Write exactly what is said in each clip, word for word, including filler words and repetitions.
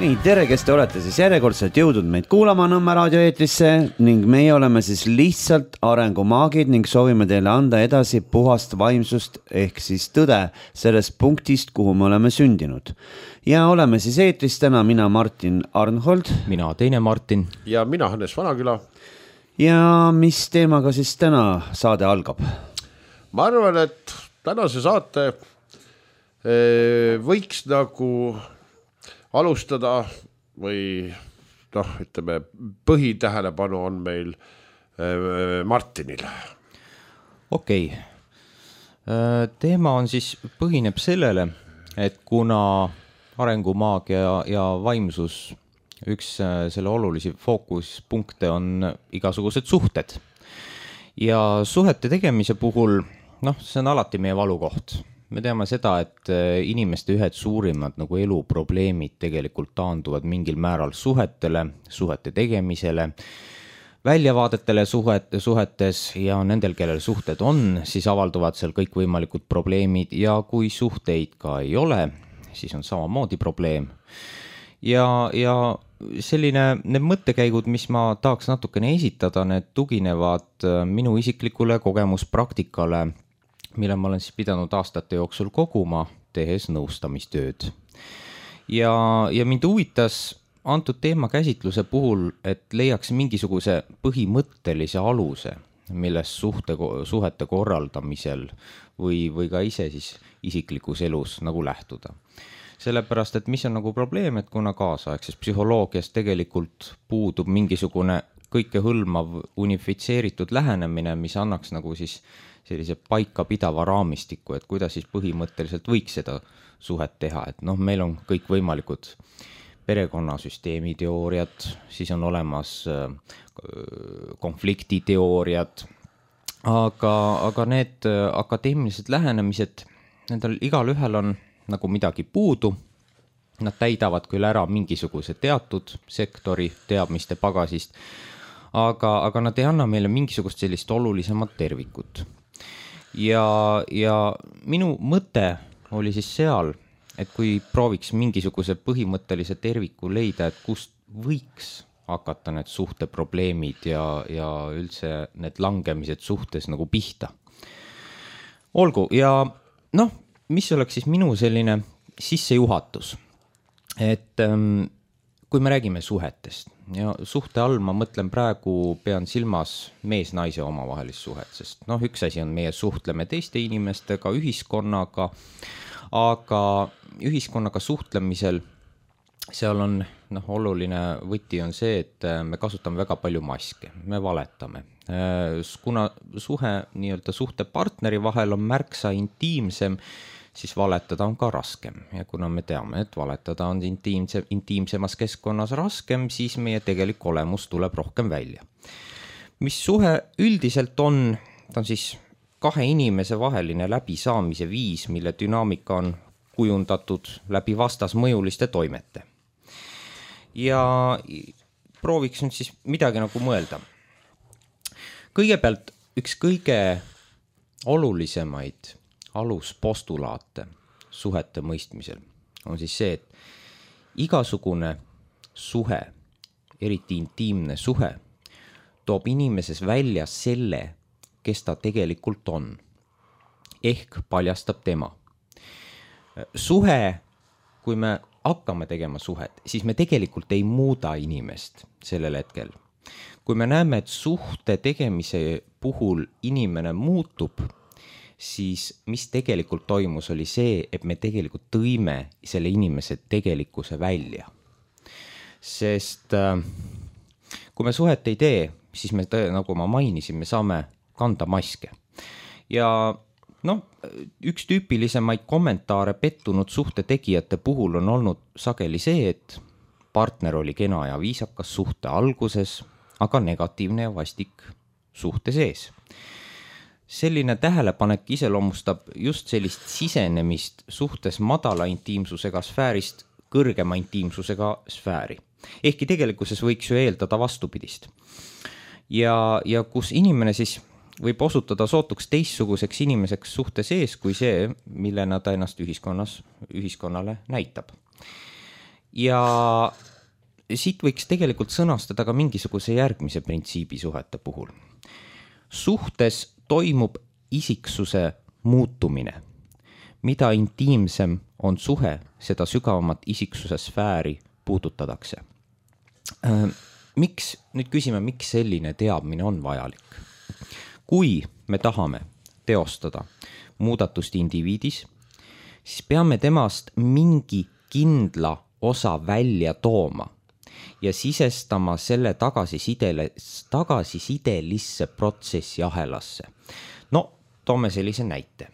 Nii, tere, kes te olete siis järjekordselt jõudnud meid kuulama Nõmme raadio eetrisse ning meie oleme siis lihtsalt arengumaagid ning soovime teile anda edasi puhast vaimsust ehk siis tõde sellest punktist, kuhu me oleme sündinud. Ja oleme siis eetris täna mina Martin Arnhold. Mina teine Martin. Ja mina Hannes Vanaküla. Ja mis teemaga siis täna saade algab? Ma arvan, et tänase saate võiks nagu alustada või noh, ütleme, põhitähelepanu on meil Martinil. Okei. Teema on siis, põhineb sellele, et kuna arengumaagia ja, ja vaimsus, üks selle olulisi fookuspunkte on igasugused suhted. Ja suhete tegemise puhul, noh, see on alati meie valukoht. Me teame seda, et inimeste ühed suurimad nagu eluprobleemid tegelikult taanduvad mingil määral suhetele, suhete tegemisele, väljavaadetele suhet, suhetes ja nendel, kellel suhted on, siis avalduvad seal kõik võimalikud probleemid ja kui suhteid ka ei ole, siis on samamoodi probleem. Ja, ja selline, need mõttekäigud, mis ma tahaks natukene esitada, need tuginevad minu isiklikule kogemuspraktikale, mille ma olen siis pidanud aastate jooksul koguma, tehes nõustamistööd. Ja, ja mind huvitas antud teema käsitluse puhul, et leiaks mingisuguse põhimõttelise aluse, milles suhte, suhete korraldamisel või, või ka ise siis isiklikus elus nagu lähtuda. Sellepärast, et mis on nagu probleem, et kuna kaasaegses psühholoogias tegelikult puudub mingisugune kõike hõlmav unifitseeritud lähenemine, mis annaks nagu siis sellise paika pidava raamistiku, et kuidas siis põhimõtteliselt võiks seda suhet teha. Et noh, meil on kõik võimalikud perekonnasüsteemi teooriad, siis on olemas konfliktiteooriad, aga, aga need akadeemilised lähenemised, nendel igal ühel on nagu midagi puudu. Nad täidavad küll ära mingisuguse teatud sektori teadmiste pagasist, aga, aga nad ei anna meile mingisugust sellist olulisemat tervikut. Ja, ja minu mõte oli siis seal, et kui prooviks mingisuguse põhimõttelise terviku leida, et kust võiks hakata need suhteprobleemid ja, ja üldse need langemised suhtes nagu pihta. Olgu, ja noh, mis oleks siis minu selline sissejuhatus, et ähm, kui me räägime suhetest ja suhte all ma mõtlen praegu, pean silmas mees-naise omavahelist suhet, sest noh, üks asi on meie suhtleme teiste inimestega, ühiskonnaga, aga ühiskonnaga suhtlemisel seal on noh, oluline võti on see, et me kasutame väga palju maske, me valetame. Kuna suhe nii-öelda suhtepartneri vahel on märksa intiimsem, siis valetada on ka raskem. Ja kuna me teame, et valetada on intiimse, intiimsemas keskkonnas raskem, siis meie tegelik olemus tuleb rohkem välja. Mis suhe üldiselt on, ta on siis kahe inimese vaheline läbisaamise viis, mille dünaamika on kujundatud läbi vastasmõjuliste toimete. Ja prooviks nüüd siis midagi nagu mõelda. Kõigepealt üks kõige olulisemaid aluspostulaate suhete mõistmisel on siis see, et igasugune suhe, eriti intiimne suhe, toob inimeses välja selle, kes ta tegelikult on, ehk paljastab tema. Suhe, kui me hakkame tegema suhet, siis me tegelikult ei muuda inimest sellel hetkel. Kui me näeme, et suhte tegemise puhul inimene muutub, siis mis tegelikult toimus oli see, et me tegelikult tõime selle inimese tegelikkuse välja. Sest kui me suhet ei tee, siis me, nagu ma mainisin, me saame kanda maske. Ja noh, üks tüüpilisemaid kommentaare pettunud suhte tegijate puhul on olnud sageli see, et partner oli kena ja viisakas suhte alguses, aga negatiivne ja vastik suhte sees. Selline tähelepanek iseloomustab just sellist sisenemist suhtes madala intiimsusega sfäärist kõrgema intiimsusega sfääri. Ehkki tegelikkuses võiks ju eeldada vastupidist. Ja, ja kus inimene siis võib osutada sootuks teistsuguseks inimeseks suhte sees kui see, millena ta ennast ühiskonnas, ühiskonnale näitab. ja siit võiks tegelikult sõnastada ka mingisuguse järgmise printsiibi suhete puhul. Suhtes toimub isiksuse muutumine. Mida intiimsem on suhe, seda sügavamat isiksuse sfääri puudutatakse. Miks, nüüd küsime, miks selline teadmine on vajalik? Kui me tahame teostada muudatust indiviidis, siis peame temast mingi kindla osa välja tooma ja sisestama selle tagasisidele, tagasisidelisse protsessi ahelasse. No, toome sellise näite.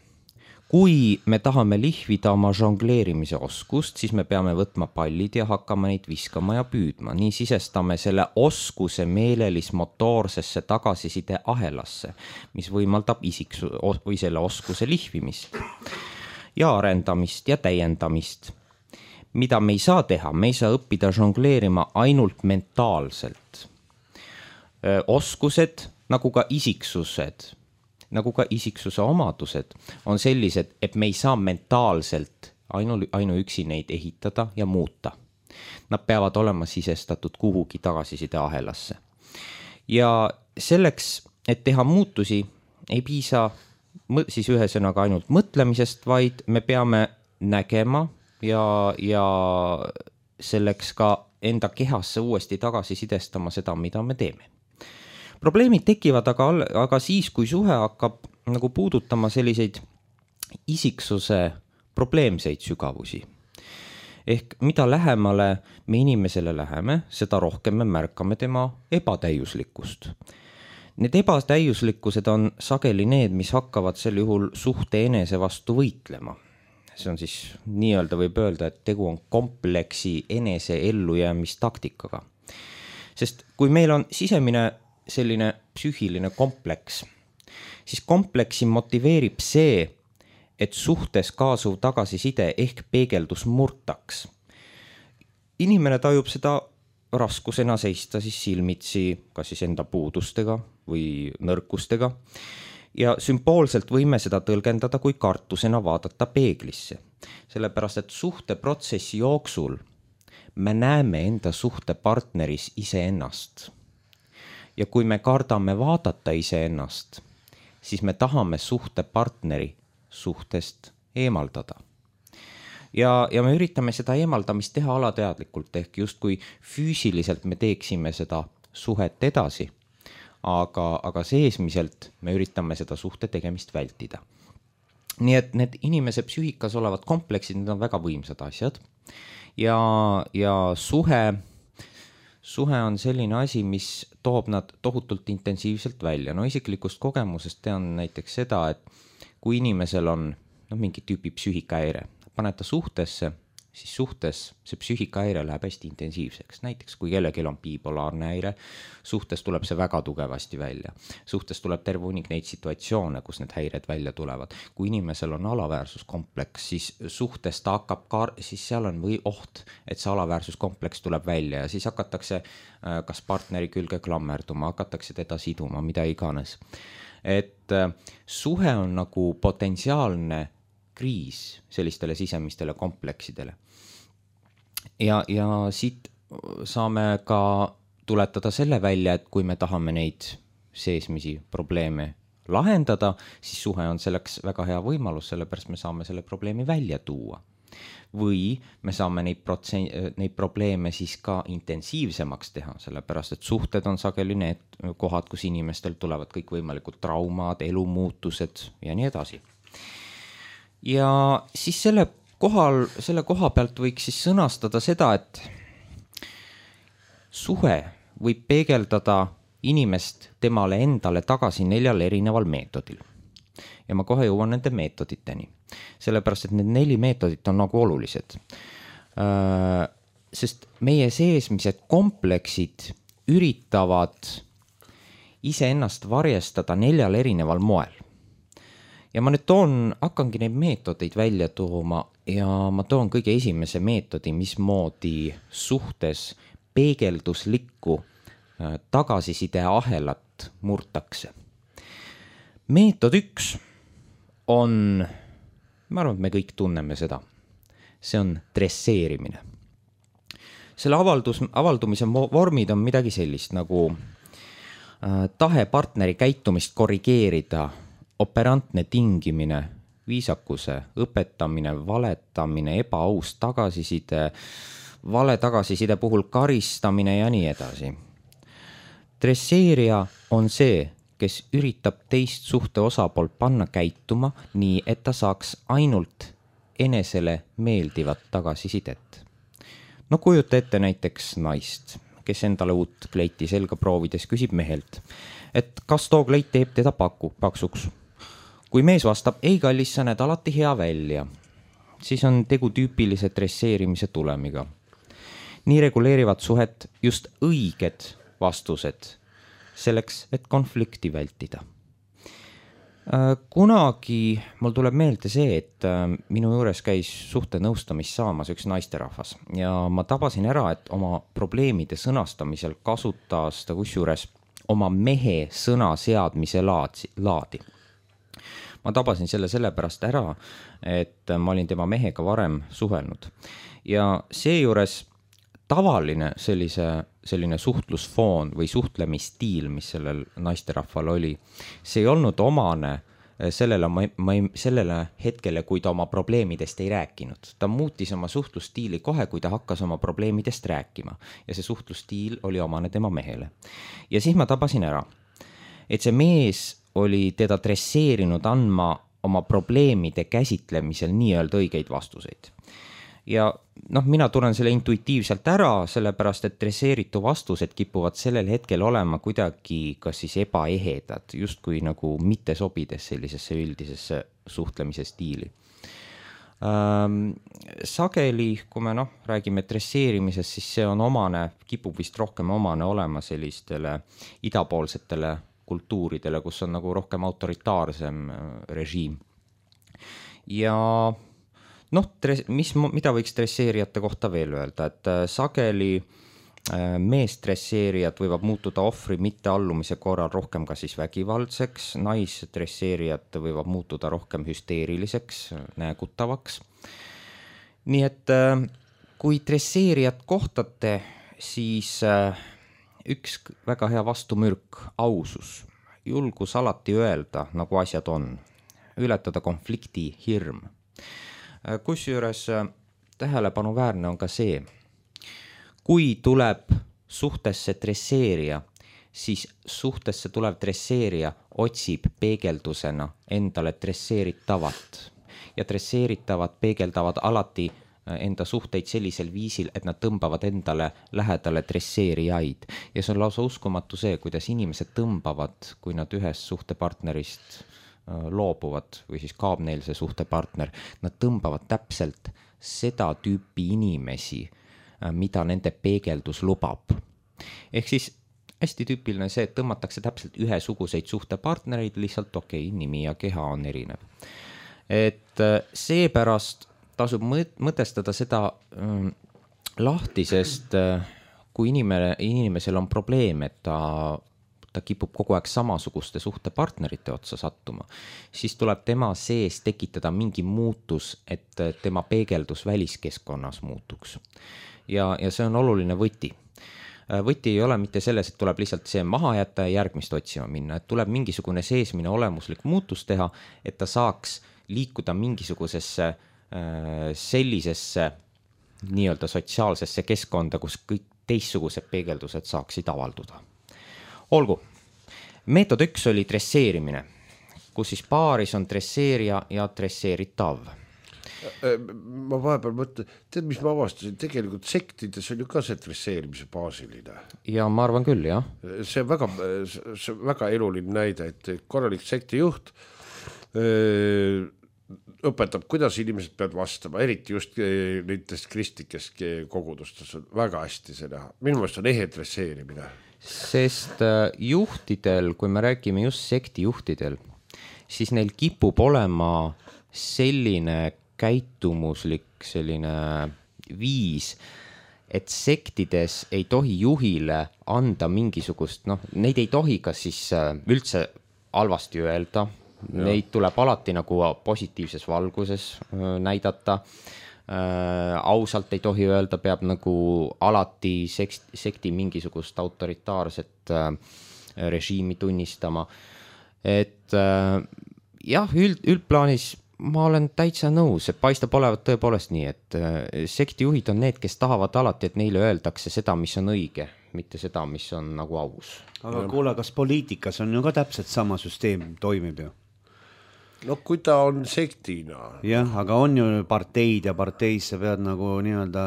Kui me tahame lihvida oma žongleerimise oskust, siis me peame võtma pallid ja hakkama neid viskama ja püüdma. Nii sisestame selle oskuse meelelis-motoorsesse tagasiside ahelasse, mis võimaldab isiksu, või selle oskuse lihvimist ja arendamist ja täiendamist. Mida me ei saa teha, me ei saa õppida žongleerima ainult mentaalselt. Oskused, nagu ka isiksused, nagu ka isiksuse omadused on sellised, et me ei saa mentaalselt ainu, ainuüksi neid ehitada ja muuta. Nad peavad olema sisestatud kuhugi tagasiside ahelasse. Ja selleks, et teha muutusi, ei piisa siis ühesõnaga ainult mõtlemisest, vaid me peame nägema ja, ja selleks ka enda kehasse uuesti tagasi sidestama seda, mida me teeme. Probleemid tekivad aga, aga siis, kui suhe hakkab nagu puudutama selliseid isiksuse probleemseid sügavusi. Ehk mida lähemale me inimesele läheme, seda rohkem me märkame tema ebatäiuslikkust. Need ebatäiuslikkused on sageli need, mis hakkavad sel juhul suhte enese vastu võitlema. See on siis nii-öelda võib öelda, et tegu on kompleksi enese ellujäämistaktikaga. Sest kui meil on sisemine selline psüühiline kompleks, siis kompleksi motiveerib see, et suhtes kaasuv tagasiside ehk peegeldus murtaks. Inimene tajub seda raskusena seista siis silmitsi kas siis enda puudustega või nõrkustega ja sümboolselt võime seda tõlgendada kui kartusena vaadata peeglisse. Sellepärast, et suhteprotsessi jooksul me näeme enda suhtepartneris iseennast. Ja kui me kardame vaadata iseennast, siis me tahame suhtepartneri suhtest eemaldada. Ja, ja me üritame seda eemaldamist teha alateadlikult, ehk just kui füüsiliselt me teeksime seda suhet edasi, aga, aga seesmiselt me üritame seda suhte tegemist vältida. Nii et need inimese psüühikas olevad kompleksid, need on väga võimsad asjad ja, ja suhe Suhe on selline asi, mis toob nad tohutult intensiivselt välja. No isiklikust kogemusest tean näiteks seda, et kui inimesel on no, mingi tüüpi psüühikahäire, paned ta suhtesse, siis suhtes see psüühikahäire läheb hästi intensiivseks. Näiteks kui kellelgi on bipolaarne häire, suhtes tuleb see väga tugevasti välja. Suhtes tuleb terve hunnik neid situatsioone, kus need häired välja tulevad. Kui inimesel on alaväärsuskompleks, siis suhtes ta hakkab, kar-, siis seal on või oht, et see alaväärsuskompleks tuleb välja ja siis hakatakse kas partneri külge klammerduma, hakatakse teda siduma, mida iganes. Et suhe on nagu potentsiaalne kriis sellistele sisemistele kompleksidele. Ja, ja siit saame ka tuletada selle välja, et kui me tahame neid seesmisi probleeme lahendada, siis suhe on selleks väga hea võimalus, sellepärast me saame selle probleemi välja tuua. Või me saame neid, protsen- neid probleeme siis ka intensiivsemaks teha, sellepärast et suhted on sageli need kohad, kus inimestel tulevad kõik võimalikud traumad, elumuutused ja nii edasi. Ja siis selle, kohal, selle koha pealt võiks siis sõnastada seda, et suhe võib peegeldada inimest temale endale tagasi neljal erineval meetodil. Ja ma kohe jõuan nende meetoditeni, sellepärast et need neli meetodit on nagu olulised. Sest meie seesmised kompleksid üritavad iseennast varjestada neljal erineval moel. Ja ma nüüd toon, hakkangi neid meetodeid välja tooma ja ma toon kõige esimese meetodi, mismoodi suhtes peegelduslikku tagasiside ahelat murtakse. Meetod üks on, ma arvan, et me kõik tunneme seda, see on dresseerimine. selle avaldus, avaldumise vormid on midagi sellist nagu äh, tahe partneri käitumist korrigeerida, operantne tingimine, viisakuse õpetamine, valetamine, ebaaus tagasiside, vale tagasiside puhul karistamine ja nii edasi. Dresseerija on see, kes üritab teist suhte osapoolt panna käituma nii, et ta saaks ainult enesele meeldivat tagasisidet. No kujuta ette näiteks naist, kes endale uut kleiti selga proovides küsib mehelt, et kas too kleit teeb teda paku, paksuks. Kui mees vastab, ei kallis, sa näed alati hea välja, siis on tegu tüüpilise dresseerimise tulemiga. Nii reguleerivad suhet just õiged vastused selleks, et konflikti vältida. Kunagi mul tuleb meelde see, et minu juures käis suhte nõustamist saamas üks naisterahvas ja ma tabasin ära, et oma probleemide sõnastamisel kasutas ta kusjuures oma mehe sõna seadmise laadi. Ma tabasin selle sellepärast ära, et ma olin tema mehega varem suhelnud ja seejuures tavaline sellise, selline suhtlusfoon või suhtlemisstiil, mis sellel naisterahval oli, see ei olnud omane sellele, ma, ma, sellele hetkele, kui ta oma probleemidest ei rääkinud. Ta muutis oma suhtlusstiili kohe, kui ta hakkas oma probleemidest rääkima ja see suhtlusstiil oli omane tema mehele. Ja siis ma tabasin ära, et see mees oli teda dresseerinud andma oma probleemide käsitlemisel nii-öelda õigeid vastuseid. Ja noh, mina tunnen selle intuitiivselt ära, sellepärast, et dresseeritu vastused kipuvad sellel hetkel olema kuidagi kas siis ebaehedad, just kui nagu mitte sobides sellisesse üldisesse suhtlemise stiili. Ähm, sageli, kui me noh, räägime dresseerimisest, siis see on omane, kipub vist rohkem omane olema sellistele idapoolsetele kultuuridele, kus on nagu rohkem autoritaarsem režiim. Ja noh, mis, mida võiks dresseerijate kohta veel öelda, et sageli meesdresseerijad võivad muutuda ohvri mitteallumise korral rohkem ka siis vägivaldseks, naisdresseerijad võivad muutuda rohkem hüsteeriliseks, näägutavaks. Nii et kui dresseerijat kohtate, siis üks väga hea vastumürk, ausus, julgus alati öelda, nagu asjad on, ületada konflikti hirm. Kusjuures tähelepanuväärne on ka see, kui tuleb suhtesse dresseerija, siis suhtesse tulev dresseerija otsib peegeldusena endale dresseeritavat ja dresseeritavad peegeldavad alati enda suhteid sellisel viisil, et nad tõmbavad endale lähedale dresseerijaid ja see on lausa uskumatu see, kuidas inimesed tõmbavad, kui nad ühest suhtepartnerist loobuvad või siis kaob neil see suhtepartner, nad tõmbavad täpselt seda tüüpi inimesi, mida nende peegeldus lubab. Ehk siis hästi tüüpiline see, et tõmmatakse täpselt ühesuguseid suhtepartnereid, lihtsalt okei, okay, nimi ja keha on erinev. Et seepärast tasub mõtestada seda ähm, lahti, sest äh, kui inimene, inimesel on probleem, et ta ta kipub kogu aeg samasuguste suhtepartnerite otsa sattuma, siis tuleb tema sees tekitada mingi muutus, et tema peegeldus väliskeskkonnas muutuks. Ja, ja see on oluline võti. Võti ei ole mitte selles, et tuleb lihtsalt see maha jätta ja järgmist otsima minna, et tuleb mingisugune seesmine olemuslik muutus teha, et ta saaks liikuda mingisugusesse sellisesse nii-öelda sotsiaalsesse keskkonda, kus kõik teistsugused peegeldused saaksid avalduda. Olgu, meetod üks oli dresseerimine, kus siis paaris on dresseerija ja dresseeritav. Ma vahepeal mõtlen, tead, mis ma avastasin, tegelikult sektides on ju ka see dresseerimise baasiline. Ja ma arvan küll, jah. See on väga, see on väga eluline näide, et korralik sektijuht öö, õpetab, kuidas inimesed peavad vastama, eriti just nendest kristlikest kogudustes on väga hästi see näha. Minu meelest on ehe dresseerimine. Sest juhtidel, kui me räägime just sektijuhtidel, siis neil kipub olema selline käitumuslik selline viis, et sektides ei tohi juhile anda mingisugust, noh, neid ei tohi kas siis üldse halvasti öelda, ja. Neid tuleb alati nagu positiivses valguses näidata. äh, ausalt ei tohi öelda, peab nagu alati sekt, sekti mingisugust autoritaarset äh, režiimi tunnistama. Et äh, jah, üld, üldplaanis ma olen täitsa nõus, et paistab olevat tõepoolest nii, et äh, sektijuhid on need, kes tahavad alati, et neile öeldakse seda, mis on õige, mitte seda, mis on nagu aus. Aga kuule, kas poliitikas on ju ka täpselt sama süsteem toimib ju? No kui ta on sektina. Jah, aga on ju parteid ja parteis sa pead nagu nii-öelda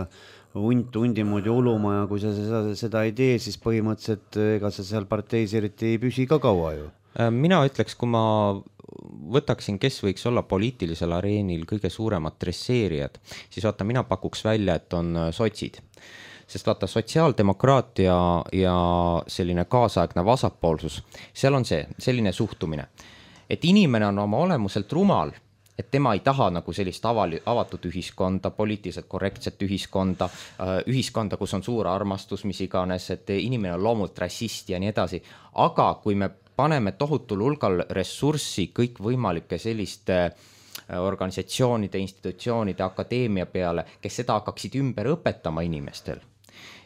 hunt hundi moodi uluma ja kui sa seda, seda ei tee, siis põhimõtteliselt ega sa seal parteis eriti ei püsi ka kaua ju. Mina ütleks, kui ma võtaksin, kes võiks olla poliitilisel areenil kõige suuremad dresseerijad, siis vaata, mina pakuks välja, et on sotsid. Sest vaata, sotsiaaldemokraatia ja selline kaasaegne vasakpoolsus, seal on see, selline suhtumine, et inimene on oma olemuselt rumal, et tema ei taha nagu sellist avali, avatud ühiskonda, poliitiliselt korrektset ühiskonda, ühiskonda, kus on suur armastus, mis iganes, et inimene on loomult rassist ja nii edasi. Aga kui me paneme tohutul hulgal ressurssi kõik võimalike selliste organisatsioonide, institutsioonide, akadeemia peale, kes seda hakkaksid ümber õpetama inimestel,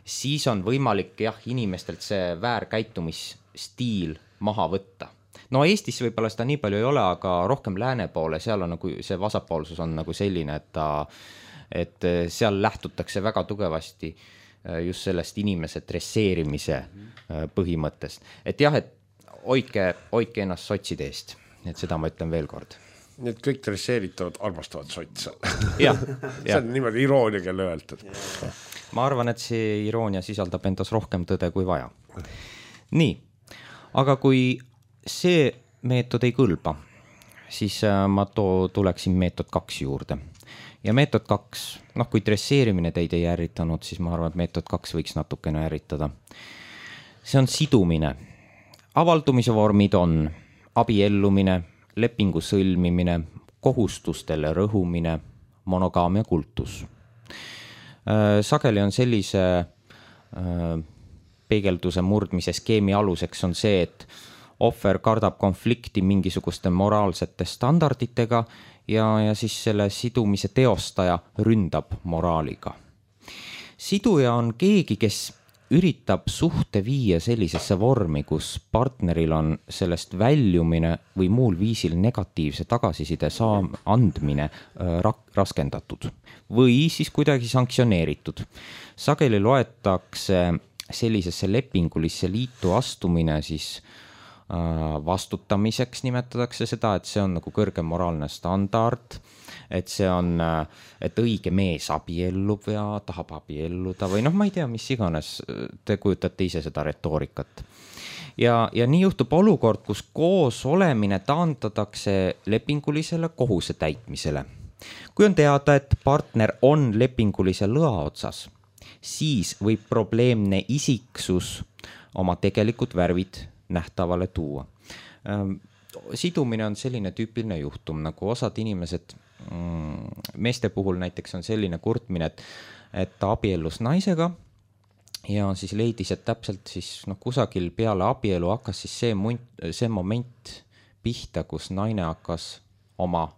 siis on võimalik jah, inimestelt see väärkäitumisstiil maha võtta. No Eestis võib-olla seda nii palju ei ole, aga rohkem lääne poole, seal on nagu see vasakpoolsus on nagu selline, et, ta, et seal lähtutakse väga tugevasti just sellest inimese dresseerimise põhimõttest. Et jah, et hoidke, hoidke ennast sotside eest, et seda ma ütlen veel kord. Nii et kõik dresseeritavad armastavad sotsa. Ja, see on niimoodi iroonia, kelle öeldud. Ma arvan, et see iroonia sisaldab endas rohkem tõde kui vaja. Nii, aga kui see meetod ei kõlba, siis ma to- tuleksin meetod kaks juurde. Ja meetod kaks, noh kui dresseerimine teid ei ärritanud, siis ma arvan, et meetod kaks võiks natukene ärritada. See on sidumine. Avaldumise vormid on abiellumine, lepingu sõlmimine, kohustustele rõhumine, monogaamia kultus. Sageli on sellise peegelduse murdmise skeemi aluseks on see, et ohver kardab konflikti mingisuguste moraalsete standarditega ja, ja siis selle sidumise teostaja ründab moraaliga. Siduja on keegi, kes üritab suhte viia sellisesse vormi, kus partneril on sellest väljumine või muul viisil negatiivse tagasiside saam andmine rak- raskendatud või siis kuidagi sanktsioneeritud. Sageli loetakse sellisesse lepingulisse liitu astumine siis vastutamiseks nimetatakse seda, et see on nagu kõrge moraalne standard, et see on, et õige mees abiellub ja tahab abielluda või noh, ma ei tea, mis iganes, te kujutate ise seda retoorikat. Ja, ja nii juhtub olukord, kus koos olemine taandatakse lepingulisele kohuse täitmisele. Kui on teada, et partner on lepingulise lõa otsas, siis võib probleemne isiksus oma tegelikud värvid nähtavale tuua. Sidumine on selline tüüpiline juhtum, nagu osad inimesed, meeste puhul näiteks on selline kurtmine, et, et ta abiellus naisega ja siis leidis, et täpselt siis noh, kusagil peale abielu hakkas siis see, munt, see moment pihta, kus naine hakkas oma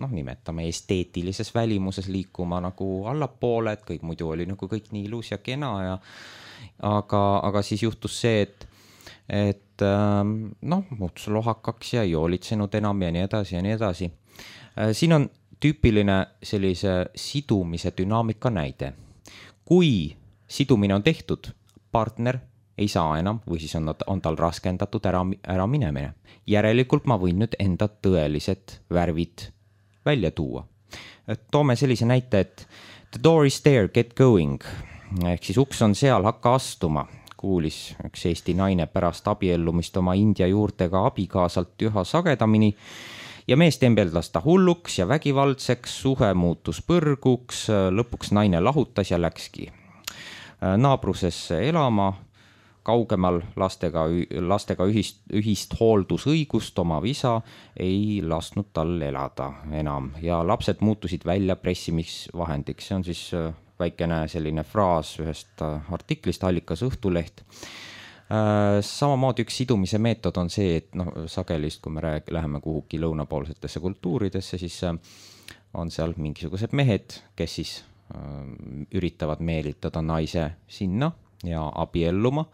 noh, nimetame esteetilises välimuses liikuma nagu allapoole, et kõik muidu oli nagu kõik nii ilus ja kena ja aga, aga siis juhtus see, et et noh, muutus lohakaks ja ei hoolitsenud enam ja nii edasi ja nii edasi. Siin on tüüpiline sellise sidumise dünaamika näide. Kui sidumine on tehtud, partner ei saa enam või siis on, on tal raskendatud ära, ära minemine. Järelikult ma võin nüüd enda tõelised värvid välja tuua. Toome sellise näite, et the door is there, get going. Ehk siis uks on seal, hakka astuma. Kuulis üks Eesti naine pärast abiellumist oma India juurtega abikaasalt üha sagedamini ja mees tembeldas ta hulluks ja vägivaldseks, suhe muutus põrguks, lõpuks naine lahutas ja läkski naabrusesse elama, kaugemal lastega, lastega ühist, ühist hooldusõigust oma isa ei lasknud tal elada enam ja lapsed muutusid välja pressimisvahendiks, see on siis väikene selline fraas ühest artiklist, allikas Õhtuleht. Samamoodi üks sidumise meetod on see, et noh, sagelist, kui me rääg, läheme kuhugi lõunapoolsetesse kultuuridesse, siis on seal mingisugused mehed, kes siis üritavad meelitada naise sinna ja abielluma.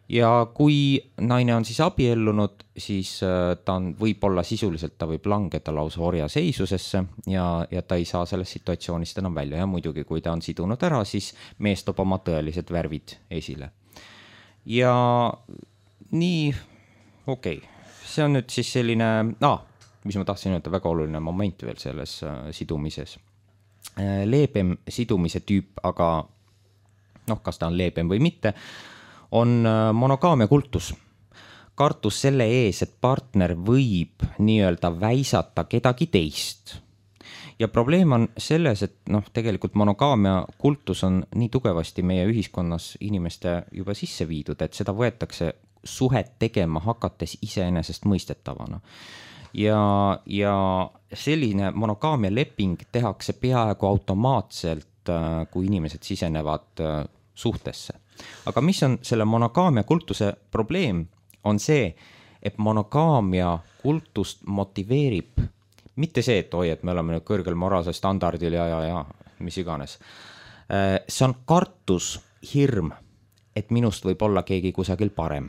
Ja kui naine on siis abiellunud, siis ta on võib-olla sisuliselt, ta võib langeda lausa orja seisusesse ja, ja ta ei saa sellest situatsioonist enam välja. Ja muidugi, kui ta on sidunud ära, siis mees toob oma tõelised värvid esile. Ja nii, okei, okay. See on nüüd siis selline, ah, mis ma tahtsin öelda, väga oluline moment veel selles sidumises. Leebem sidumise tüüp, aga noh, kas ta on leebem või mitte, on monogaamia kultus. Kartus selle ees, et partner võib nii-öelda väisata kedagi teist. Ja probleem on selles, et noh, tegelikult monogaamia kultus on nii tugevasti meie ühiskonnas inimeste juba sisse viidud, et seda võetakse suhet tegema hakates iseenesest mõistetavana. Ja, ja selline monogaamia leping tehakse peaaegu automaatselt, kui inimesed sisenevad suhtesse. Aga mis on selle monogaamia kultuse probleem, on see, et monogaamia kultust motiveerib mitte see, et oi, et me oleme nüüd kõrgel moraalsel standardil ja, ja, ja mis iganes. See on kartus, hirm, et minust võib olla keegi kusagil parem.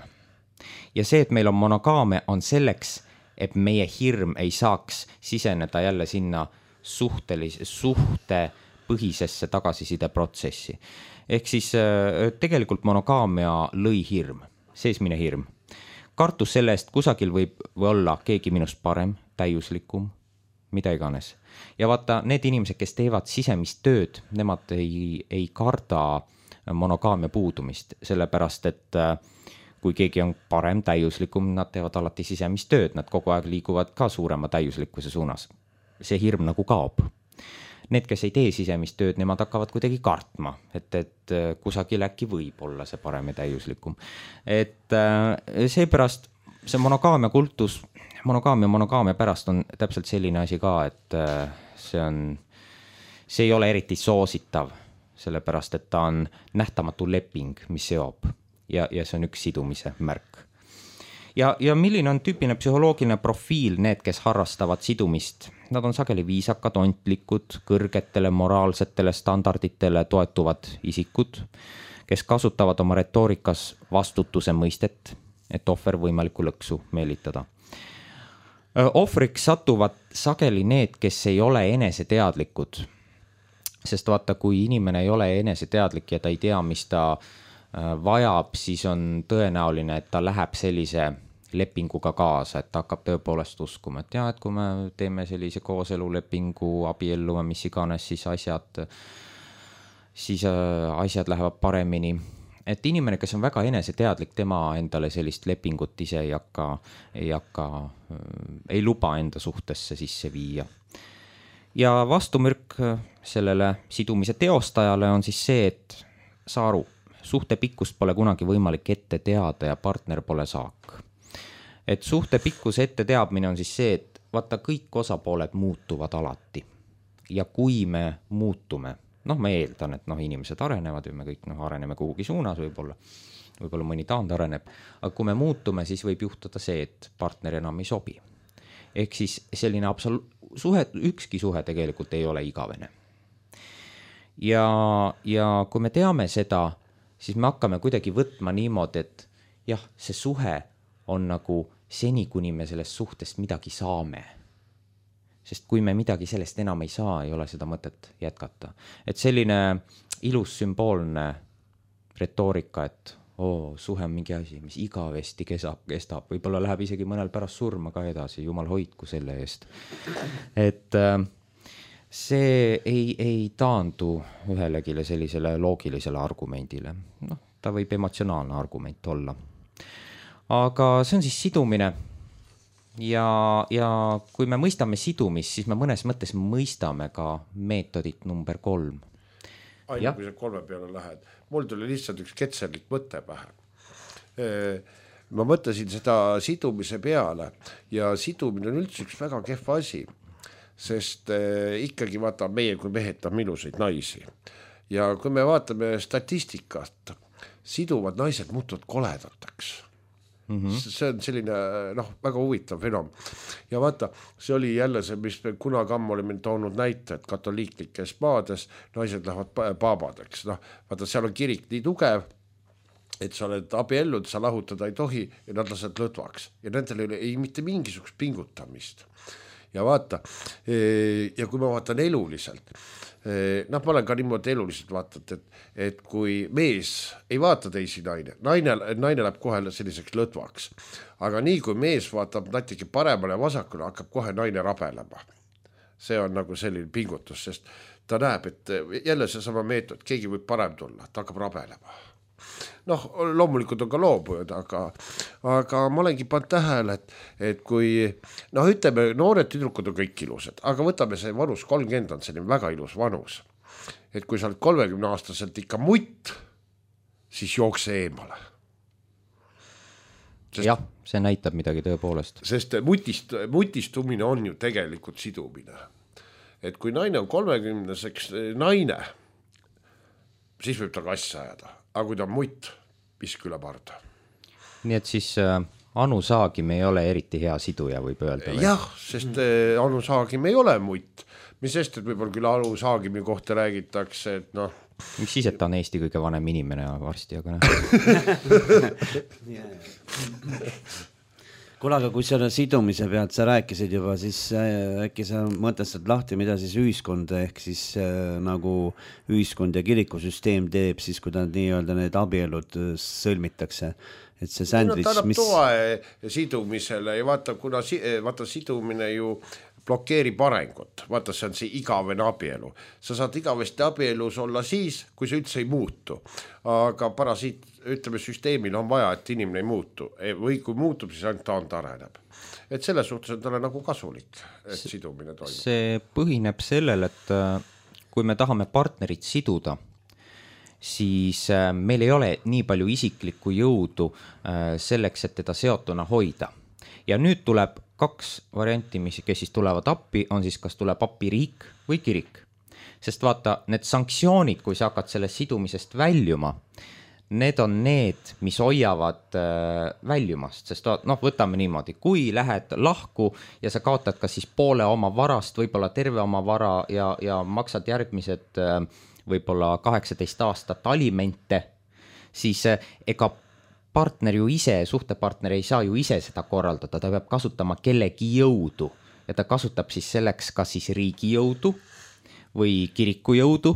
Ja see, et meil on monogaamia, on selleks, et meie hirm ei saaks siseneda jälle sinna suhtelis- suhte põhisesse tagasiside protsessi. Ehk siis tegelikult monogaamia lõi hirm, seesmine hirm. Kartus selle eest, kusagil võib olla keegi minust parem, täiuslikum, mida iganes. Ja vaata, need inimesed, kes teevad sisemist tööd, nemad ei, ei karda monogaamia puudumist, sellepärast, et kui keegi on parem, täiuslikum, nad teevad alati sisemist tööd, nad kogu aeg liiguvad ka suurema täiuslikkuse suunas. See hirm nagu kaob. Need, kes ei tee sisemist tööd, nemad hakkavad kuidagi kartma, et, et kusagil äkki võib olla see parem ja täiuslikum. Et seepärast see monogaamia kultus, monogaamia monogaamia pärast on täpselt selline asi ka, et see on, see ei ole eriti soositav, sellepärast, et ta on nähtamatu leping, mis seob ja, ja see on üks sidumise märk. Ja, ja milline on tüüpine psühholoogiline profiil need, kes harrastavad sidumist? Nad on sageli viisakad, ontlikud, kõrgetele moraalsetele standarditele toetuvad isikud, kes kasutavad oma retoorikas vastutuse mõistet, et ohver võimaliku lõksu meelitada. Ohvriks satuvad sageli need, kes ei ole eneseteadlikud, sest vaata, kui inimene ei ole eneseteadlik ja ta ei tea, mis ta vajab, siis on tõenäoline, et ta läheb sellise lepinguga kaasa, et ta hakkab tõepoolest uskuma, et jah, et kui me teeme sellise kooselulepingu, abiellume, mis iganes, siis asjad, siis asjad lähevad paremini. Et inimene, kes on väga eneseteadlik, tema endale sellist lepingut ise ei hakka, ei hakka, ei luba enda suhtesse sisse viia. Ja vastumürk sellele sidumise teostajale on siis see, et saa aru, suhte pikkust pole kunagi võimalik ette teada ja partner pole saak. Et suhte pikkuse ette teadmine on siis see, et vaata, kõik osapooled muutuvad alati. Ja kui me muutume, noh, ma eeldan, et noh, inimesed arenevad ja me kõik noh, areneme kuhugi suunas võib-olla, võib-olla mõni taand areneb, aga kui me muutume, siis võib juhtuda see, et partner enam ei sobi. Ehk siis selline absolu- suhe, ükski suhe tegelikult ei ole igavene. Ja, ja kui me teame seda, siis me hakkame kuidagi võtma niimoodi, et jah, see suhe on nagu seni, kuni me sellest suhtest midagi saame. Sest kui me midagi sellest enam ei saa, ei ole seda mõtet jätkata. Et selline ilus sümboolne retoorika, et oo, suhe on mingi asi, mis igavesti kestab, kestab. Võib-olla läheb isegi mõnel pärast surma ka edasi, jumal hoidku selle eest. Et see ei, ei taandu ühelegile sellisele loogilisele argumendile. Noh, ta võib emotsionaalne argument olla. Aga see on siis sidumine ja, ja kui me mõistame sidumist, siis me mõnes mõttes mõistame ka meetodit number kolm. Aina, kui sa kolme peale lähed. Mul tuli lihtsalt üks ketserlik mõte pähe. Ma mõtlesin seda sidumise peale ja sidumine on üldse üks väga kehva asi, sest ikkagi vaata meie kui mehed on ilusaid naisi. Ja kui me vaatame statistikat, siduvad naised muutuvad koledateks. Mm-hmm. See on selline noh, väga huvitav fenomen. Ja vaata, see oli jälle see, mis me kunagi ammu olime toonud näite, et katoliiklikes maades naised lähevad paabadeks. Noh, vaata, seal on kirik nii tugev, et sa oled abiellud, sa lahutada ei tohi ja nad lased lõdvaks. Ja nendel ei, ei mitte mingisugust pingutamist. Ja vaata, ja kui ma vaatan eluliselt, noh, ma olen ka niimoodi eluliselt vaatad, et, et kui mees ei vaata teisi naine, naine, naine läheb kohe selliseks lõdvaks, aga nii kui mees vaatab natuke paremale ja vasakule, hakkab kohe naine rabelema. See on nagu selline pingutus, sest ta näeb, et jälle see sama meetod, keegi võib parem tulla, ta hakkab rabelema. Noh, loomulikult on ka loobujad, aga, aga ma olengi pannud tähele, et, et kui, noh, ütleme, noored tüdrukud on kõik ilusad, aga võtame see vanus, kolmkümmend on selline väga ilus vanus. Et kui sa oled kolmekümne aastaselt ikka mutt, siis jookse eemale. Sest, jah, see näitab midagi tõepoolest. Sest mutist, mutistumine on ju tegelikult sidumine. Et kui naine on kolmekümneseks naine, siis võib ta kasse ajada. Aga kui ta on mutt, pisk üle parda. Nii et siis äh, Anu Saagim ei ole eriti hea siduja, võib öelda. Või? Jah, sest äh, Anu Saagim ei ole mutt. Mis sest, et võib-olla küll Anu Saagimi kohta räägitakse, et noh. Mis siis, et ta on Eesti kõige vanem inimene varsti, aga näe. Kuule, aga kui selle sidumise pealt sa rääkisid juba, siis äkki sa mõtestad lahti, mida siis ühiskond ehk siis äh, nagu ühiskond ja kirikusüsteem teeb siis, kui ta nii-öelda need abielud sõlmitakse. Et see sandwich, no, ta annab mis... toe sidumisele ja vaata, kuna vaata sidumine ju blokeerib arengut. Vaata, see on see igavene abielu. Sa saad igavesti abielus olla siis, kui see üldse ei muutu. Aga parasiit, ütleme, süsteemil on vaja, et inimene ei muutu. Või kui muutub, siis ainult ta on tareneb. Et selle suhtes on talle nagu kasulik, et see, sidumine toimub. See põhineb sellel, et kui me tahame partnerit siduda, siis meil ei ole nii palju isiklikku jõudu selleks, et teda seotuna hoida. Ja nüüd tuleb kaks varianti, mis, kes siis tulevad appi, on siis kas tuleb appi riik või kirik. Sest vaata, need sanktsioonid, kui sa hakkad sellest sidumisest väljuma, need on need, mis hoiavad äh, väljumast. Sest noh, võtame niimoodi, kui lähed lahku ja sa kaotad kas siis poole oma varast, võib-olla terve oma vara ja, ja maksad järgmised äh, võib-olla kaheksateist aastat alimente, siis äh, ega partner ju ise, suhtepartner ei saa ju ise seda korraldada, ta peab kasutama kellegi jõudu ja ta kasutab siis selleks kas siis riigi jõudu või kiriku jõudu.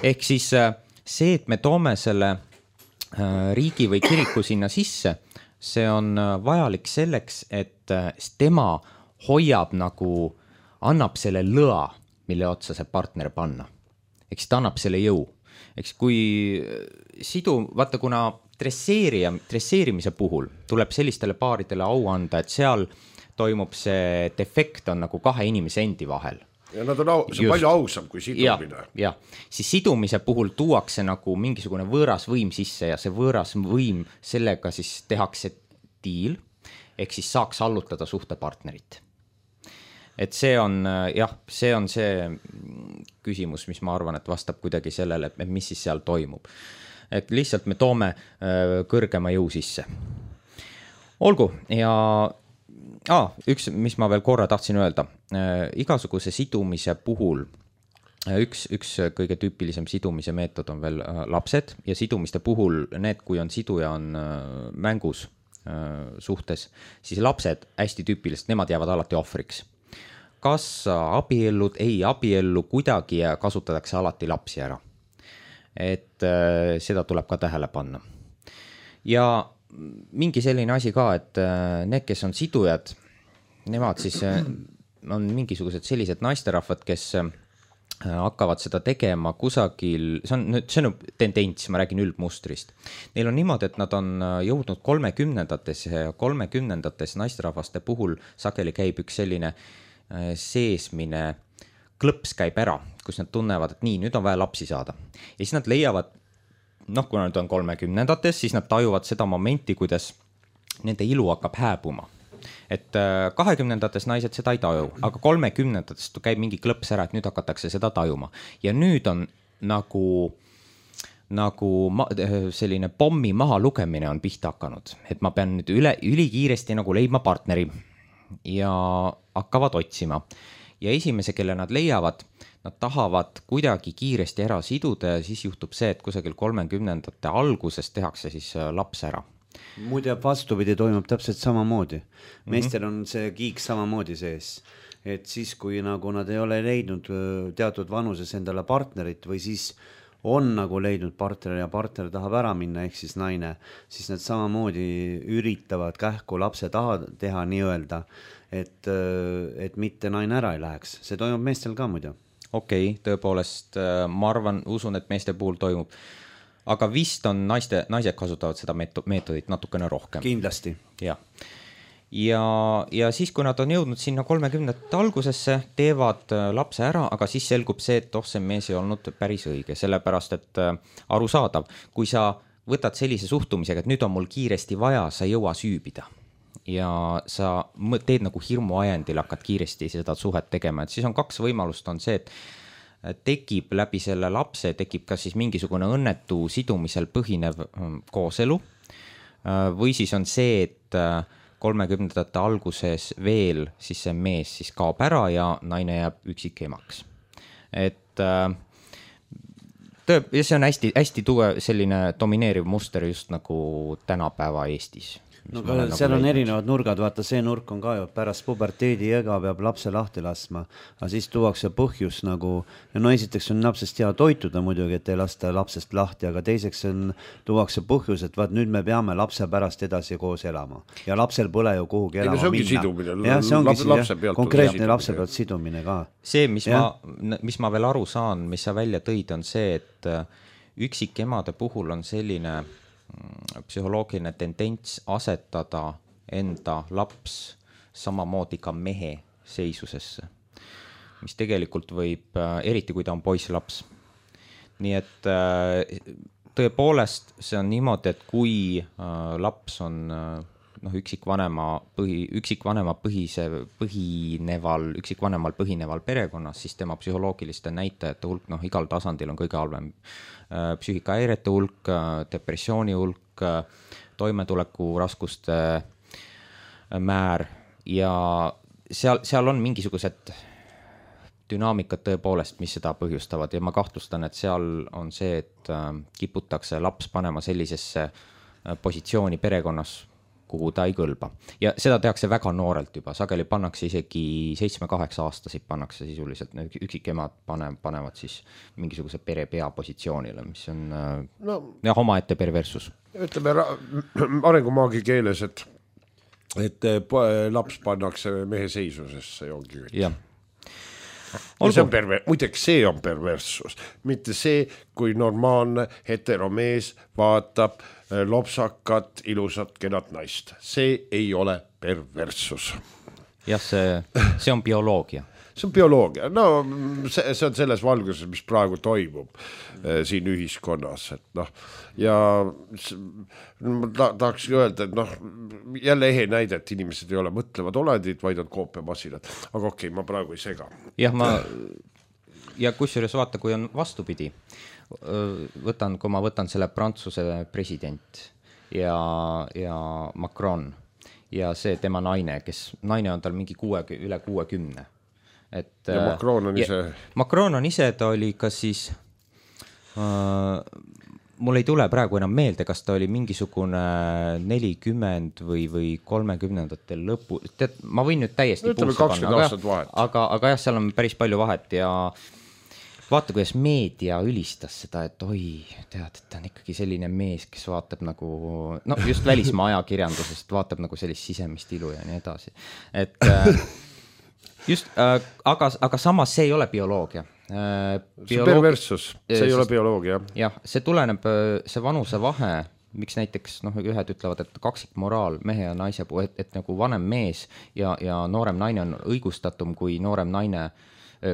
Ehk siis see, et me toome selle riigi või kiriku sinna sisse, see on vajalik selleks, et tema hoiab nagu, annab selle lõa, mille otsa see partner panna. Ehk siis ta annab selle jõu. Ehk siis kui sidu, vaata kuna Dresseerija, dresseerimise puhul tuleb sellistele paaridele au anda, et seal toimub see defekt on nagu kahe inimese endi vahel. Ja nad on au, see on palju ausam kui sidumine. Ja, ja, siis sidumise puhul tuuakse nagu mingisugune võõras võim sisse ja see võõras võim, sellega siis tehakse diil, ehk siis saaks allutada suhtepartnerit. Et see on, jah, see on see küsimus, mis ma arvan, et vastab kuidagi sellele, et mis siis seal toimub. Et lihtsalt me toome äh, kõrgema jõu sisse. Olgu, ja ah, üks, mis ma veel korra tahtsin öelda, äh, igasuguse sidumise puhul äh, üks, üks kõige tüüpilisem sidumise meetod on veel äh, lapsed ja sidumiste puhul need, kui on siduja on äh, mängus äh, suhtes, siis lapsed hästi tüüpiliselt, nemad jäävad alati ohvriks. Kas abiellud, ei abiellu kuidagi ja kasutatakse alati lapsi ära. Et äh, seda tuleb ka tähele panna. Ja mingi selline asi ka, et äh, need, kes on sidujad, nemad siis äh, on mingisugused sellised naisterahvad, kes äh, hakkavad seda tegema kusagil, see on, see on tendents, ma räägin üldmustrist. Neil on niimoodi, et nad on jõudnud kolmekümnendates ja kolmekümnendates naisterahvaste puhul sageli käib üks selline äh, seesmine klõps käib ära, kus nad tunnevad, et nii, nüüd on vaja lapsi saada. Ja siis nad leiavad, noh, kui nad on kolmekümnendates, siis nad tajuvad seda momenti, kuidas nende ilu hakkab hääbuma. Et kahekümnendates naised seda ei taju, aga kolmekümnendates käib mingi klõps ära, et nüüd hakatakse seda tajuma. Ja nüüd on nagu nagu ma, selline pommi maha lugemine on pihta hakanud, et ma pean nüüd üle, ülikiiresti nagu leidma partneri ja hakkavad otsima. Ja esimese, kelle nad leiavad, nad tahavad kuidagi kiiresti ära siduda ja siis juhtub see, et kusagil kolmekümnendate alguses tehakse siis laps ära. Muide vastupidi toimub täpselt samamoodi. Meestel on see kiik samamoodi sees, et siis kui nagu nad ei ole leidnud teatud vanuses endale partnerit või siis on nagu leidnud partner ja partner tahab ära minna, ehk siis naine, siis nad samamoodi üritavad kähku lapse taha teha nii-öelda, et, et mitte naine ära ei läheks. See toimub meestel ka muidu. Okei, okay, tõepoolest ma arvan, usun, et meeste puhul toimub. Aga vist on naiste, naised kasutavad seda meetodit natukene rohkem. Kindlasti. Ja. Ja, ja siis, kui nad on jõudnud sinna kolmekümnendate algusesse, teevad lapse ära, aga siis selgub see, et oh, see mees ei olnud päris õige, sellepärast, et arusaadav, kui sa võtad sellise suhtumisega, et nüüd on mul kiiresti vaja, sa ei jõua süübida ja sa teed nagu hirmuajendil, hakkad kiiresti seda suhet tegema, et siis on kaks võimalust, on see, et tekib läbi selle lapse, tekib ka siis mingisugune õnnetu sidumisel põhinev kooselu või siis on see, et kolmekümnendate alguses veel siis see mees siis kaob ära ja naine jääb üksik emaks. Et tõe, see on hästi, hästi tuge selline domineeriv muster just nagu tänapäeva Eestis. No, seal nagu on leidnud. Erinevad nurgad, vaata see nurk on ka ju pärast puberteedi ega peab lapse lahti laskma, aga siis tuuakse põhjus nagu, no esiteks on lapsest hea toituda muidugi, et ei lasta lapsest lahti, aga teiseks on, tuuakse põhjus, et vaat nüüd me peame lapse pärast edasi koos elama ja lapsel pole ju kuhugi elama see minna. Sidumine, ja, see ongi lapse, lapse pealt konkreetne lapse pealt sidumine ka. See, mis ma, mis ma veel aru saan, mis sa välja tõid, on see, et üksik emade puhul on selline psühholoogiline tendents asetada enda laps samamoodi ka mehe seisusesse, mis tegelikult võib, eriti kui ta on poisslaps. Nii et tõepoolest see on niimoodi, et kui laps on noh, üksikvanema põhi, üksikvanema põhise, põhineval, üksikvanemal põhineval perekonnas, siis tema psühholoogiliste näitajate hulk, noh, igal tasandil on kõige halvem psüühikahäirete hulk, depressiooni hulk, toimetuleku raskuste määr ja seal, seal on mingisugused dünaamikad tõepoolest, mis seda põhjustavad ja ma kahtlustan, et seal on see, et kiputakse laps panema sellisesse positsiooni perekonnas, kuhu ta ei kõlba. Ja seda tehakse väga noorelt juba, sageli pannakse isegi seitsme-kaheksa aastasid pannakse sisuliselt, üksikemad pane, panevad siis mingisuguse pere pea positsioonile, mis on no, jah, omaette perversus. Ütleme arengumaagi keeles, et, et laps pannakse mehe seisusesse ja ongi kõik. Jah. Ja see on perver-, muideks see on perversus, mitte see, kui normaalne heteromees vaatab lopsakat, ilusat, kenat naist. See ei ole perversus. Jah, see, see on bioloogia. See on bioloogia. No see, see on selles valguses, mis praegu toimub äh, siin ühiskonnas. Et, noh, ja ta, tahaks öelda, et noh, jälle ehe näide, et inimesed ei ole mõtlevad olendid, vaid on koopiamasinad. Aga okei, ma praegu ei sega. Jah, ma... Ja kusjuures vaata, kui on vastupidi, võtan, kui ma võtan selle Prantsuse president ja, ja Macron ja see tema naine, kes naine on tal mingi kuue, üle kuuekümne. Et, ja Macron on ise... Macron on ise, ta oli kas siis, äh, mul ei tule praegu enam meelde, kas ta oli mingisugune nelikümmend või, või kolmekümnendatel lõpu, tead, ma võin nüüd täiesti puusse panna, aga, aga, aga jah, seal on päris palju vahet ja vaata, kuidas meedia ülistas seda, et oi, tead, et ta on ikkagi selline mees, kes vaatab nagu, no just välismaa ajakirjandusest vaatab nagu sellist sisemist ilu ja nii edasi. Et just, aga, aga samas see ei ole bioloogia. Bioloog... See perversus, see ei ole bioloogia. Jah, see tuleneb, see vanuse vahe, miks näiteks noh, ühed ütlevad, et kaksikmoraal mehe ja naise puhul, et, et nagu vanem mees ja, ja noorem naine on õigustatum kui noorem naine,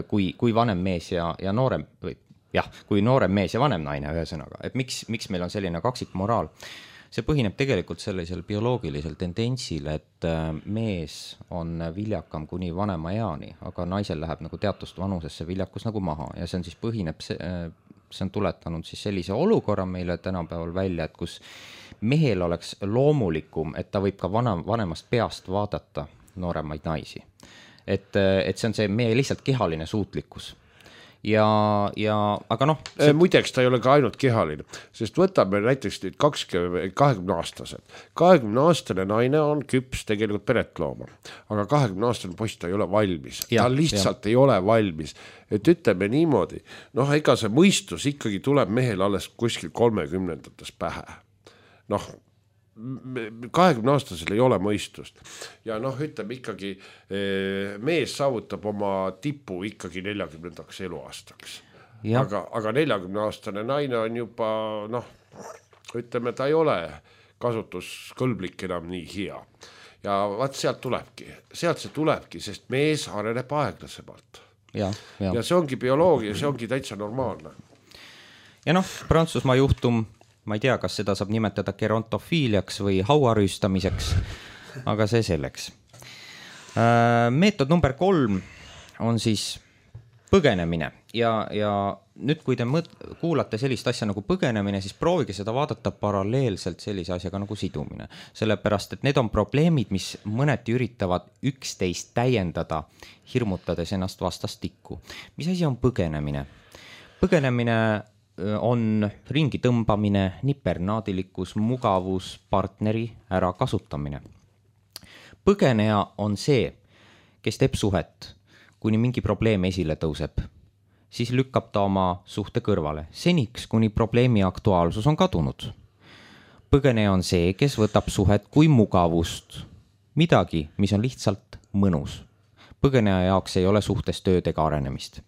kui, kui vanem mees ja, ja noorem, või jah, kui noorem mees ja vanem naine ühesõnaga, et miks, miks meil on selline kaksikmoraal? See põhineb tegelikult sellisel bioloogilisel tendentsil, et mees on viljakam kuni vanema eani, aga naisel läheb nagu teatust vanusesse viljakus nagu maha ja see on siis põhineb, see, see on tuletanud siis sellise olukorra meile tänapäeval välja, et kus mehel oleks loomulikum, et ta võib ka vana, vanemast peast vaadata nooremaid naisi. Et, et see on see meie lihtsalt kehaline suutlikkus. Ja, ja, aga noh see... muideks ta ei ole ka ainult kehaline, sest võtame näiteks nüüd kakskümmend, kahekümne aastased. kahekümne aastane naine on küps tegelikult peret looma, aga kahekümne aastane poiss ta ei ole valmis, ja, ta lihtsalt ja. ei ole valmis, et ütleme niimoodi, noh ega see mõistus ikkagi tuleb mehel alles kuskil kolmekümnendates pähe, noh kahekümne aastasel ei ole mõistust ja noh, ütleme ikkagi mees saavutab oma tipu ikkagi neljakümnendaks eluaastaks, aga, aga neljakümne aastane naine on juba noh, ütleme ta ei ole kasutuskõlblik enam nii hea ja vaat sealt tulebki, sealt see tulebki, sest mees areneb aeglasemalt ja, ja. ja see ongi bioloogia, see ongi täitsa normaalne. Ja noh, Prantsusmaa juhtum ma ei tea, kas seda saab nimetada gerontofiiliaks või hauarüüstamiseks, aga see selleks. Meetod number kolm on siis põgenemine ja, ja nüüd, kui te mõt- kuulate sellist asja nagu põgenemine, siis proovige seda vaadata paralleelselt sellise asjaga nagu sidumine. Sellepärast, et need on probleemid, mis mõneti üritavad üksteist täiendada, hirmutades ennast vastastikku. Mis asi on põgenemine? Põgenemine on ringi tõmbamine, nipernaadilikkus, mugavus, partneri ära kasutamine. Põgeneja on see, kes teeb suhet, kuni mingi probleem esile tõuseb, siis lükkab ta oma suhte kõrvale, seniks, kuni probleemi aktuaalsus on kadunud. Põgeneja on see, kes võtab suhet kui mugavust, midagi, mis on lihtsalt mõnus. Põgeneja jaoks ei ole suhtes tööd ega arenemist.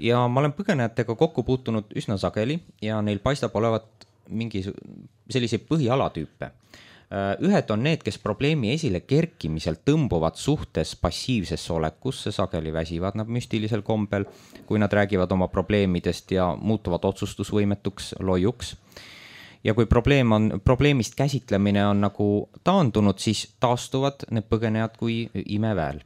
Ja ma olen põgenejatega kokku puutunud üsna sageli ja neil paistab olevat mingi selliseid põhialatüüpe. Ühed on need, kes probleemi esile kerkimisel tõmbuvad suhtes passiivsesse olekusse, sageli väsivad nad müstilisel kombel, kui nad räägivad oma probleemidest ja muutuvad otsustusvõimetuks loiuks. Ja kui probleem on, probleemist käsitlemine on nagu taandunud, siis taastuvad need põgenejad kui imeväel.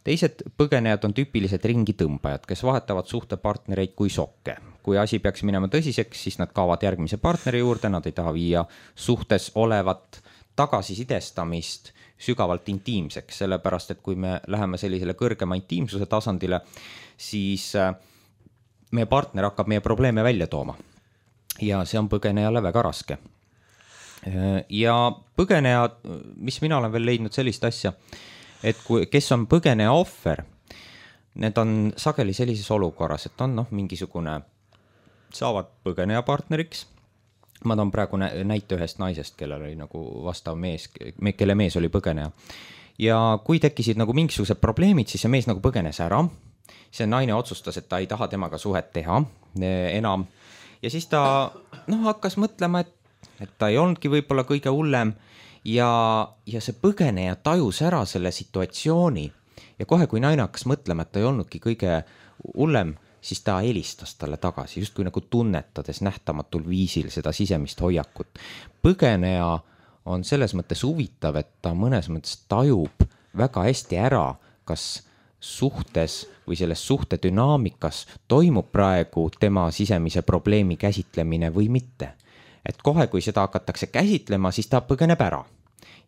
Teised põgenejad on tüüpilised ringi tõmbajad, kes vahetavad suhtepartnereid kui sokke. Kui asi peaks minema tõsiseks, siis nad kaovad järgmise partneri juurde, nad ei taha viia suhtes olevat tagasisidestamist sügavalt intiimseks, sellepärast et kui me läheme sellisele kõrgema intiimsuse tasandile, siis meie partner hakkab meie probleeme välja tooma. Ja see on põgenejale väga raske. Ja põgeneja, mis mina olen veel leidnud sellist asja, et kui, kes on põgeneja ohver, need on sageli sellises olukorras, et on noh, mingisugune, saavad põgeneja partneriks. Ma toon praegu näite ühest naisest, kellel oli nagu vastav mees, kelle mees oli põgeneja. Ja kui tekkisid nagu mingisugused probleemid, siis see mees nagu põgenes ära. See naine otsustas, et ta ei taha temaga suhet teha enam. Ja siis ta noh, hakkas mõtlema, et, et ta ei olnudki võib-olla kõige hullem. Ja, ja see põgeneja tajus ära selle situatsiooni ja kohe, kui naine hakkas mõtlema, et ta ei olnudki kõige hullem, siis ta helistas talle tagasi, just kui nagu tunnetades nähtamatul viisil seda sisemist hoiakut. Põgeneja on selles mõttes huvitav, et ta mõnes mõttes tajub väga hästi ära, kas suhtes või selles suhte dünaamikas toimub praegu tema sisemise probleemi käsitlemine või mitte. Et kohe, kui seda hakatakse käsitlema, siis ta põgeneb ära.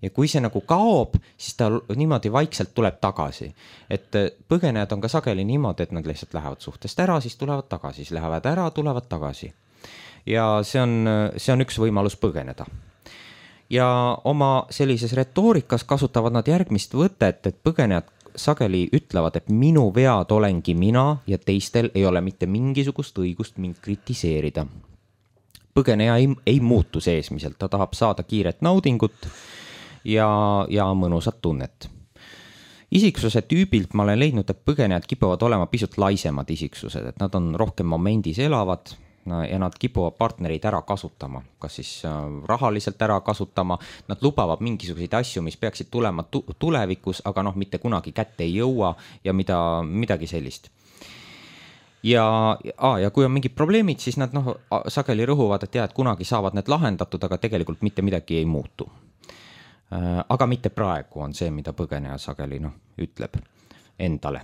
Ja kui see nagu kaob, siis ta niimoodi vaikselt tuleb tagasi. Et põgenejad on ka sageli niimoodi, et nad lihtsalt lähevad suhtest ära, siis tulevad tagasi, siis lähevad ära, tulevad tagasi. Ja see on, see on üks võimalus põgeneda. Ja oma sellises retoorikas kasutavad nad järgmist võtet, et põgenejad sageli ütlevad, et minu vead olengi mina ja teistel ei ole mitte mingisugust õigust mind kritiseerida. Põgeneja ei, ei muutu seesmiselt, ta tahab saada kiiret naudingut ja, ja mõnusat tunnet. Isiksuse tüübilt ma olen leidnud, et põgenejad kipuvad olema pisut laisemad isiksused, et nad on rohkem momendis elavad ja nad kipuvad partnereid ära kasutama, kas siis rahaliselt ära kasutama, nad lubavad mingisuguseid asju, mis peaksid tulema tulevikus, aga noh, mitte kunagi kätte ei jõua ja mida, midagi sellist. Ja, a, ja kui on mingid probleemid, siis nad noh, sageli rõhuvad, et jah, et kunagi saavad need lahendatud, aga tegelikult mitte midagi ei muutu. Aga mitte praegu on see, mida põgeneja sageli noh, ütleb endale.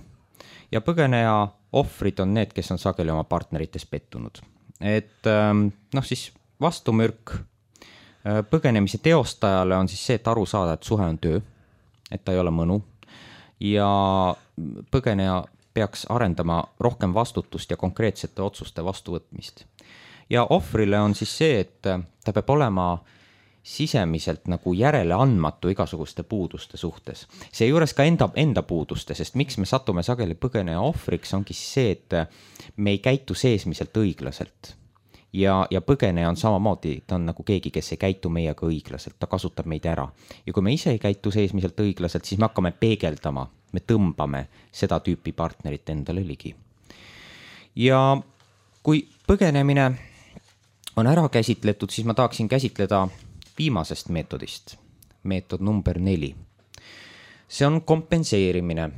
Ja põgeneja ohvrid on need, kes on sageli oma partnerites pettunud. et noh, siis vastumürk põgenemise teostajale on siis see, et aru saada, et suhe on töö, et ta ei ole mõnu ja põgeneja peaks arendama rohkem vastutust ja konkreetsete otsuste vastuvõtmist. Ja ohvrile on siis see, et ta peab olema sisemiselt nagu järele andmatu igasuguste puuduste suhtes. See juures ka enda, enda puuduste, sest miks me satume sageli põgeneja ohvriks, ongi see, et me ei käitu seesmiselt õiglaselt. Ja, ja põgeneja on samamoodi, ta on nagu keegi, kes ei käitu meiega õiglaselt, ta kasutab meid ära. Ja kui me ise ei käitu seesmiselt õiglaselt, siis me hakkame peegeldama, me tõmbame seda tüüpi partnerit endale ligi. Ja kui põgenemine on ära käsitletud, siis ma tahaksin käsitleda viimasest meetodist, meetod number neli. See on kompenseerimine,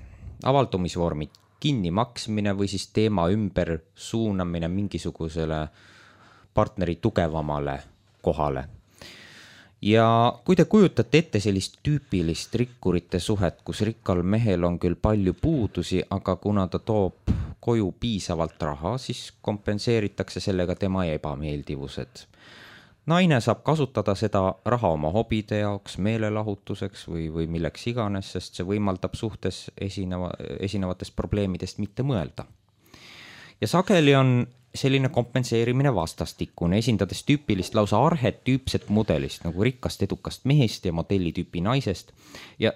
avaldumisvormi kinni maksmine või siis teema ümber suunamine mingisugusele partneri tugevamale kohale. Ja kui te kujutate ette sellist tüüpilist rikkurite suhet, kus rikkal mehel on küll palju puudusi, aga kuna ta toob koju piisavalt raha, siis kompenseeritakse sellega tema ebameeldivused. Naine saab kasutada seda raha oma hobide jaoks, meelelahutuseks või, või milleks iganes, sest see võimaldab suhtes esineva, esinevatest probleemidest mitte mõelda. Ja sageli on selline kompenseerimine vastastikune, esindades tüüpilist lausa arhetüüpset mudelist, nagu rikkast edukast mehest ja modellitüüpi naisest. Ja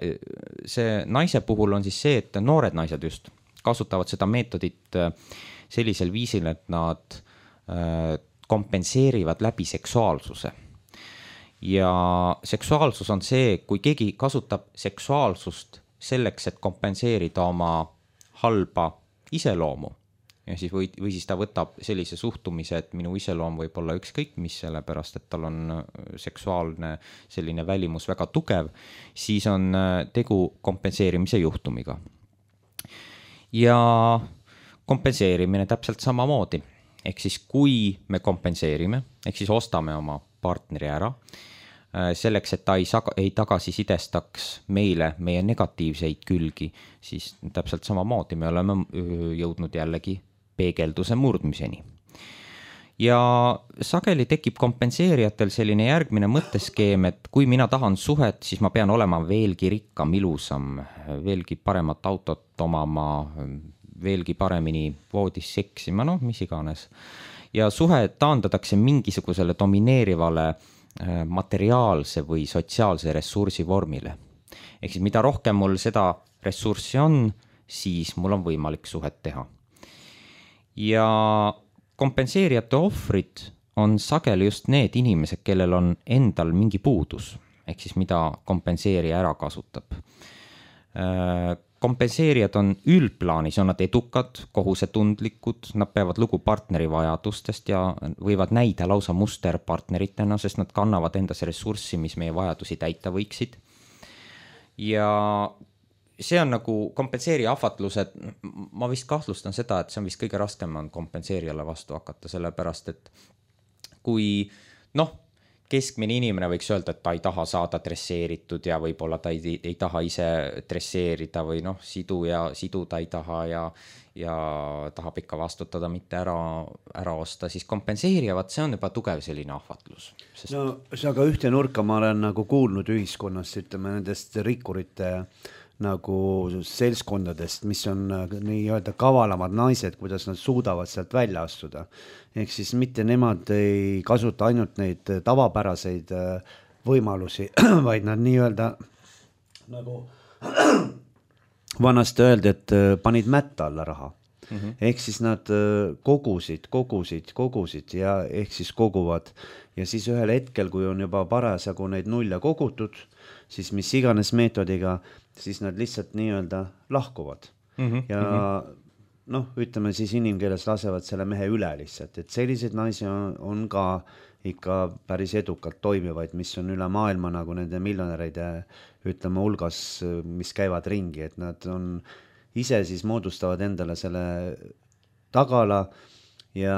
see naise puhul on siis see, et noored naised just kasutavad seda meetodit sellisel viisil, et nad kompenseerivad läbi seksuaalsuse. Ja seksuaalsus on see, kui keegi kasutab seksuaalsust selleks, et kompenseerida oma halba iseloomu. Ja siis või, või siis ta võtab sellise suhtumise, et minu iseloom võib olla ükskõik mis, sellepärast, et tal on seksuaalne selline välimus väga tugev, siis on tegu kompenseerimise juhtumiga. Ja kompenseerimine täpselt samamoodi. Ehk siis kui me kompenseerime, ehk siis ostame oma partneri ära, selleks, et ta ei, saga, ei tagasisidestaks meile meie negatiivseid külgi, siis täpselt samamoodi me oleme jõudnud jällegi peegelduse murdmiseni. Ja sageli tekib kompenseerijatel selline järgmine mõtteskeem, et kui mina tahan suhet, siis ma pean olema veelgi rikkam, ilusam, veelgi paremat autot omama, veelgi paremini voodis seksima, noh, mis iganes. Ja suhe taandatakse mingisugusele domineerivale materiaalse või sotsiaalse ressursi vormile. Ehk siis mida rohkem mul seda ressurssi on, siis mul on võimalik suhet teha. Ja kompenseerijate ohvrid on sageli just need inimesed, kellel on endal mingi puudus, ehk siis mida kompenseerija ära kasutab. Kompenseerijad on üldplaanis, on nad edukad, kohusetundlikud, nad peavad lugu partneri vajadustest ja võivad näida lausa musterpartneritena, sest nad kannavad endas ressurssi, mis meie vajadusi täita võiksid. Ja see on nagu kompenseerija ahvatlused, ma vist kahtlustan seda, et see on vist kõige raskem on kompenseerijale vastu hakata, sellepärast et kui noh, keskmine inimene võiks öelda, et ta ei taha saada dresseeritud ja võib-olla ta ei, ei taha ise dresseerida või noh, sidu ja sidu ta ei taha ja, ja tahab ikka vastutada, mitte ära, ära osta, siis kompenseerivad, see on juba tugev selline ahvatlus. Sest... No see aga ühte nurka ma olen nagu kuulnud ühiskonnast, ütleme nendest rikkurite nagu seltskondadest, mis on nii-öelda kavalamad naised, kuidas nad suudavad sealt välja astuda. Ehk siis mitte nemad ei kasuta ainult neid tavapäraseid võimalusi, vaid nad nii-öelda nagu vanasti öeldi, et panid mätta alla raha. Mm-hmm. Ehk siis nad kogusid, kogusid, kogusid ja ehk siis koguvad. Ja siis ühel hetkel, kui on juba parasjagu neid nulja kogutud, siis mis iganes meetodiga, siis nad lihtsalt nii-öelda lahkuvad. Mm-hmm. Ja noh, ütleme siis inimkeeles lasevad selle mehe üle lihtsalt, et selliseid naisi on, on ka ikka päris edukalt toimivaid, mis on üle maailma nagu nende miljonäreide, ütleme hulgas, mis käivad ringi, et nad on ise siis moodustavad endale selle tagala ja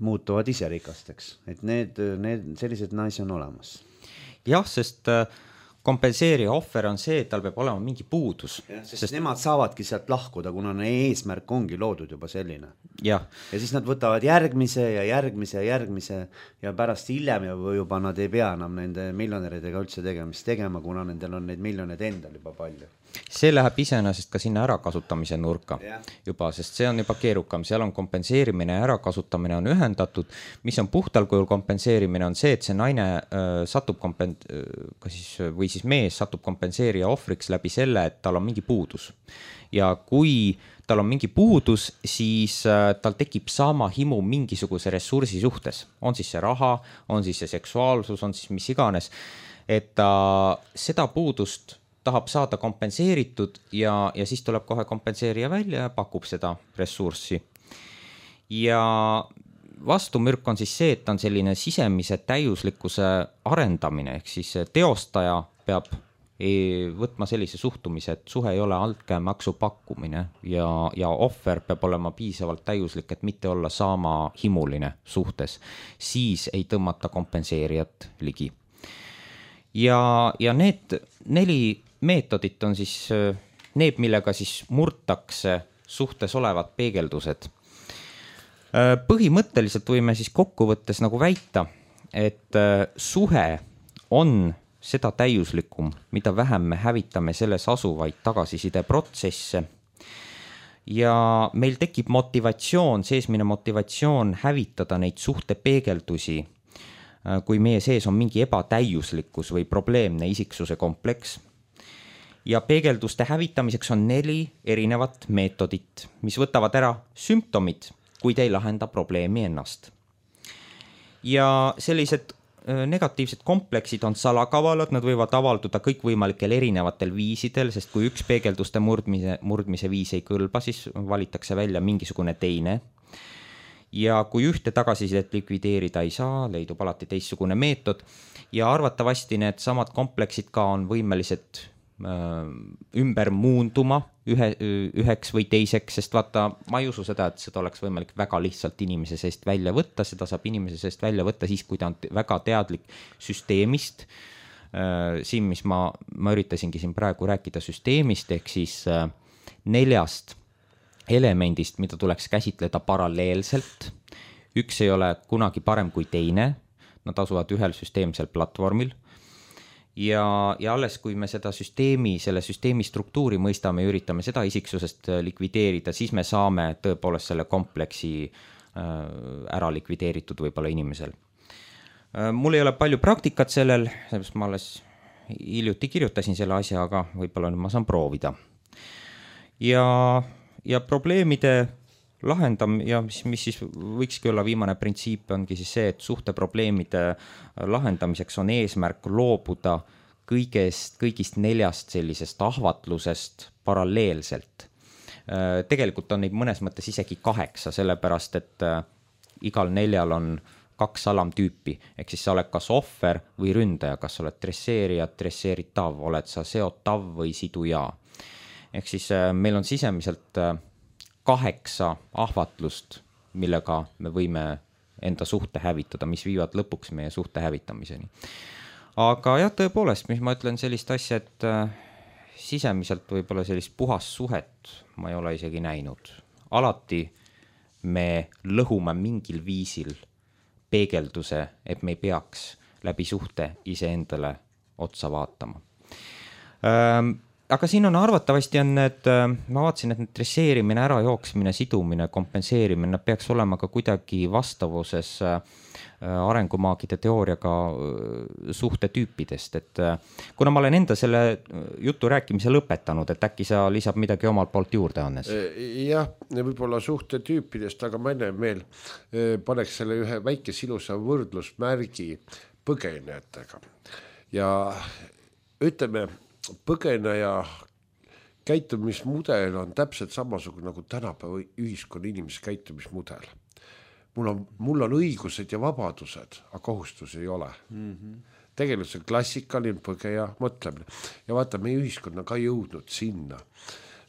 muutuvad ise rikasteks, et need, need sellised naisi on olemas. Jah, sest kompenseerija ohver on see, et tal peab olema mingi puudus. Sest, sest nemad saavadki sealt lahkuda, kuna eesmärk ongi loodud juba selline. Ja. ja siis nad võtavad järgmise ja järgmise ja järgmise ja pärast hiljem juba nad ei pea enam nende miljonäridega üldse tegemist tegema, kuna nendel on neid miljoneid endal juba palju. See läheb iseenesest ka sinna ärakasutamise nurka yeah. juba, sest see on juba keerukam, seal on kompenseerimine ja ärakasutamine on ühendatud, mis on puhtal kujul kompenseerimine on see, et see naine äh, satub kompen- äh, siis, või siis mees satub kompenseerija ohvriks läbi selle, et tal on mingi puudus. Ja kui tal on mingi puudus, siis äh, tal tekib sama himu mingisuguse ressursi suhtes, on siis see raha, on siis see seksuaalsus, on siis mis iganes, et ta seda puudust tahab saada kompenseeritud ja, ja siis tuleb kohe kompenseerija välja ja pakub seda ressurssi. Ja vastumürk on siis see, et on selline sisemise täiuslikkuse arendamine, ehk siis teostaja peab võtma sellise suhtumise, et suhe ei ole altkäemaksu pakkumine ja, ja ohver peab olema piisavalt täiuslik, et mitte olla sama himuline suhtes. Siis ei tõmmata kompenseerijat ligi. Ja, ja need neli meetodit on siis need, millega siis murtakse suhtes olevad peegeldused. Põhimõtteliselt võime siis kokkuvõttes nagu väita, et suhe on seda täiuslikum, mida vähem me hävitame selles asuvaid tagasiside protsesse. Ja meil tekib motivatsioon, seesmine motivatsioon hävitada neid suhte peegeldusi, kui meie sees on mingi ebatäiuslikkus või probleemne isiksuse kompleks. Ja peegelduste hävitamiseks on neli erinevat meetodit, mis võtavad ära sümptomid, kuid ei lahenda probleemi ennast. Ja sellised negatiivsed kompleksid on salakavalad, nad võivad avalduda kõikvõimalikel erinevatel viisidel, sest kui üks peegelduste murdmise, murdmise viis ei kõlba, siis valitakse välja mingisugune teine. Ja kui ühte tagasisidet likvideerida ei saa, leidub alati teistsugune meetod ja arvatavasti need samad kompleksid ka on võimelised ümber muunduma ühe, üheks või teiseks, sest vaata, ma ei usu seda, et seda oleks võimalik väga lihtsalt inimese seest välja võtta, seda saab inimese seest välja võtta siis, kui ta on väga teadlik süsteemist. Siin, mis ma, ma üritasingi siin praegu rääkida süsteemist, ehk siis neljast elemendist, mida tuleks käsitleda paralleelselt. Üks ei ole kunagi parem kui teine, nad asuvad ühel süsteemsel platvormil. Ja, ja alles kui me seda süsteemi, selle süsteemi struktuuri mõistame ja üritame seda isiksusest likvideerida, siis me saame tõepoolest selle kompleksi ära likvideeritud võib-olla inimesel. Mul ei ole palju praktikat sellel, sellepärast ma alles hiljuti kirjutasin selle asja, aga võib-olla ma saan proovida. Ja, ja probleemide lahendam ja mis, mis siis võikski olla viimane printsiip ongi siis see, et suhteprobleemide lahendamiseks on eesmärk loobuda kõigest, kõigist neljast sellisest ahvatlusest paralleelselt. Tegelikult on neid mõnes mõttes isegi kaheksa, sellepärast et igal neljal on kaks alamtüüpi, ehk siis sa oled kas ohver või ründaja, kas oled dresseerija, dresseeritav, oled sa seotav või siduja. Ehk siis meil on sisemiselt kaheksa ahvatlust, millega me võime enda suhte hävitada, mis viivad lõpuks meie suhte hävitamiseni. Aga jah, tõepoolest, mis ma ütlen sellist asja, et sisemiselt võib-olla sellist puhast suhet ma ei ole isegi näinud. Alati me lõhume mingil viisil peegelduse, et me ei peaks läbi suhte iseendale otsa vaatama. Ähm, Aga siin on arvatavasti on need, ma vaatasin, et need dresseerimine, ärajooksmine, sidumine, kompenseerimine, nad peaks olema ka kuidagi vastavuses arengumaagide teooriaga suhtetüüpidest. Et kuna ma olen enda selle jutu rääkimise lõpetanud, et äkki sa lisab midagi omalt poolt juurde, Hannes? Jah, võib-olla suhtetüüpidest, aga ma enne veel paneks selle ühe väikese ilusa võrdlusmärgi põgenejatega. Ja ütleme, põgeneja käitumismudel on täpselt samasugune nagu tänapäeva ühiskonna inimese käitumismudel. Mul on, mul on õigused ja vabadused, aga kohustusi ei ole. Mm-hmm. Tegelikult see klassikaline põgeja mõtlemine. Ja vaata, meie ühiskonna ka jõudnud sinna,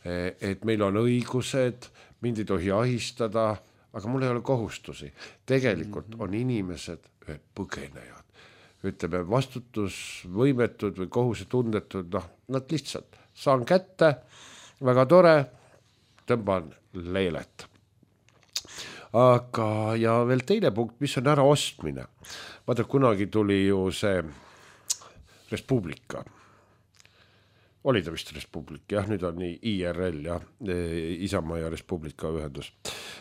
et meil on õigused, mind ei tohi ahistada, aga mul ei ole kohustusi. Tegelikult mm-hmm. on inimesed põgenejad. ütleme vastutusvõimetud või kohusetundetud, noh, nad lihtsalt saan kätte, väga tore, tõmban leelet. Aga ja veel teine punkt, mis on ära ostmine. Vaata, kunagi tuli ju see Res Publica. Oli ta vist Res Publica, jah, nüüd on nii I R L ja Isamaa ja Res Publica ühendus.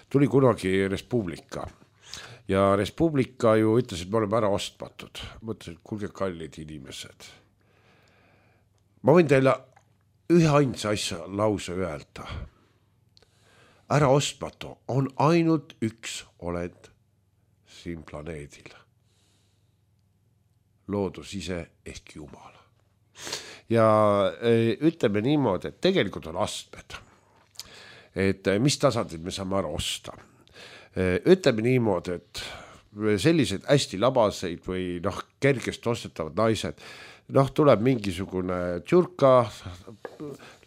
Tuli kunagi Res Publica ja Res Publica ju ütles, et me oleme ära ostmatud. Mõtlesin, et kuulge kallid inimesed. Ma võin teile ühe ainsa asja lause öelda. Ära ostmatu on ainult üks olend siin planeedil. Loodus ise ehk Jumal. Ja ütleme niimoodi, et tegelikult on astmed. Et mis tasandil me saame ära osta. Ütleme niimoodi, et sellised hästi labaseid või noh, kergest ostetavad naised, noh, tuleb mingisugune tšurka,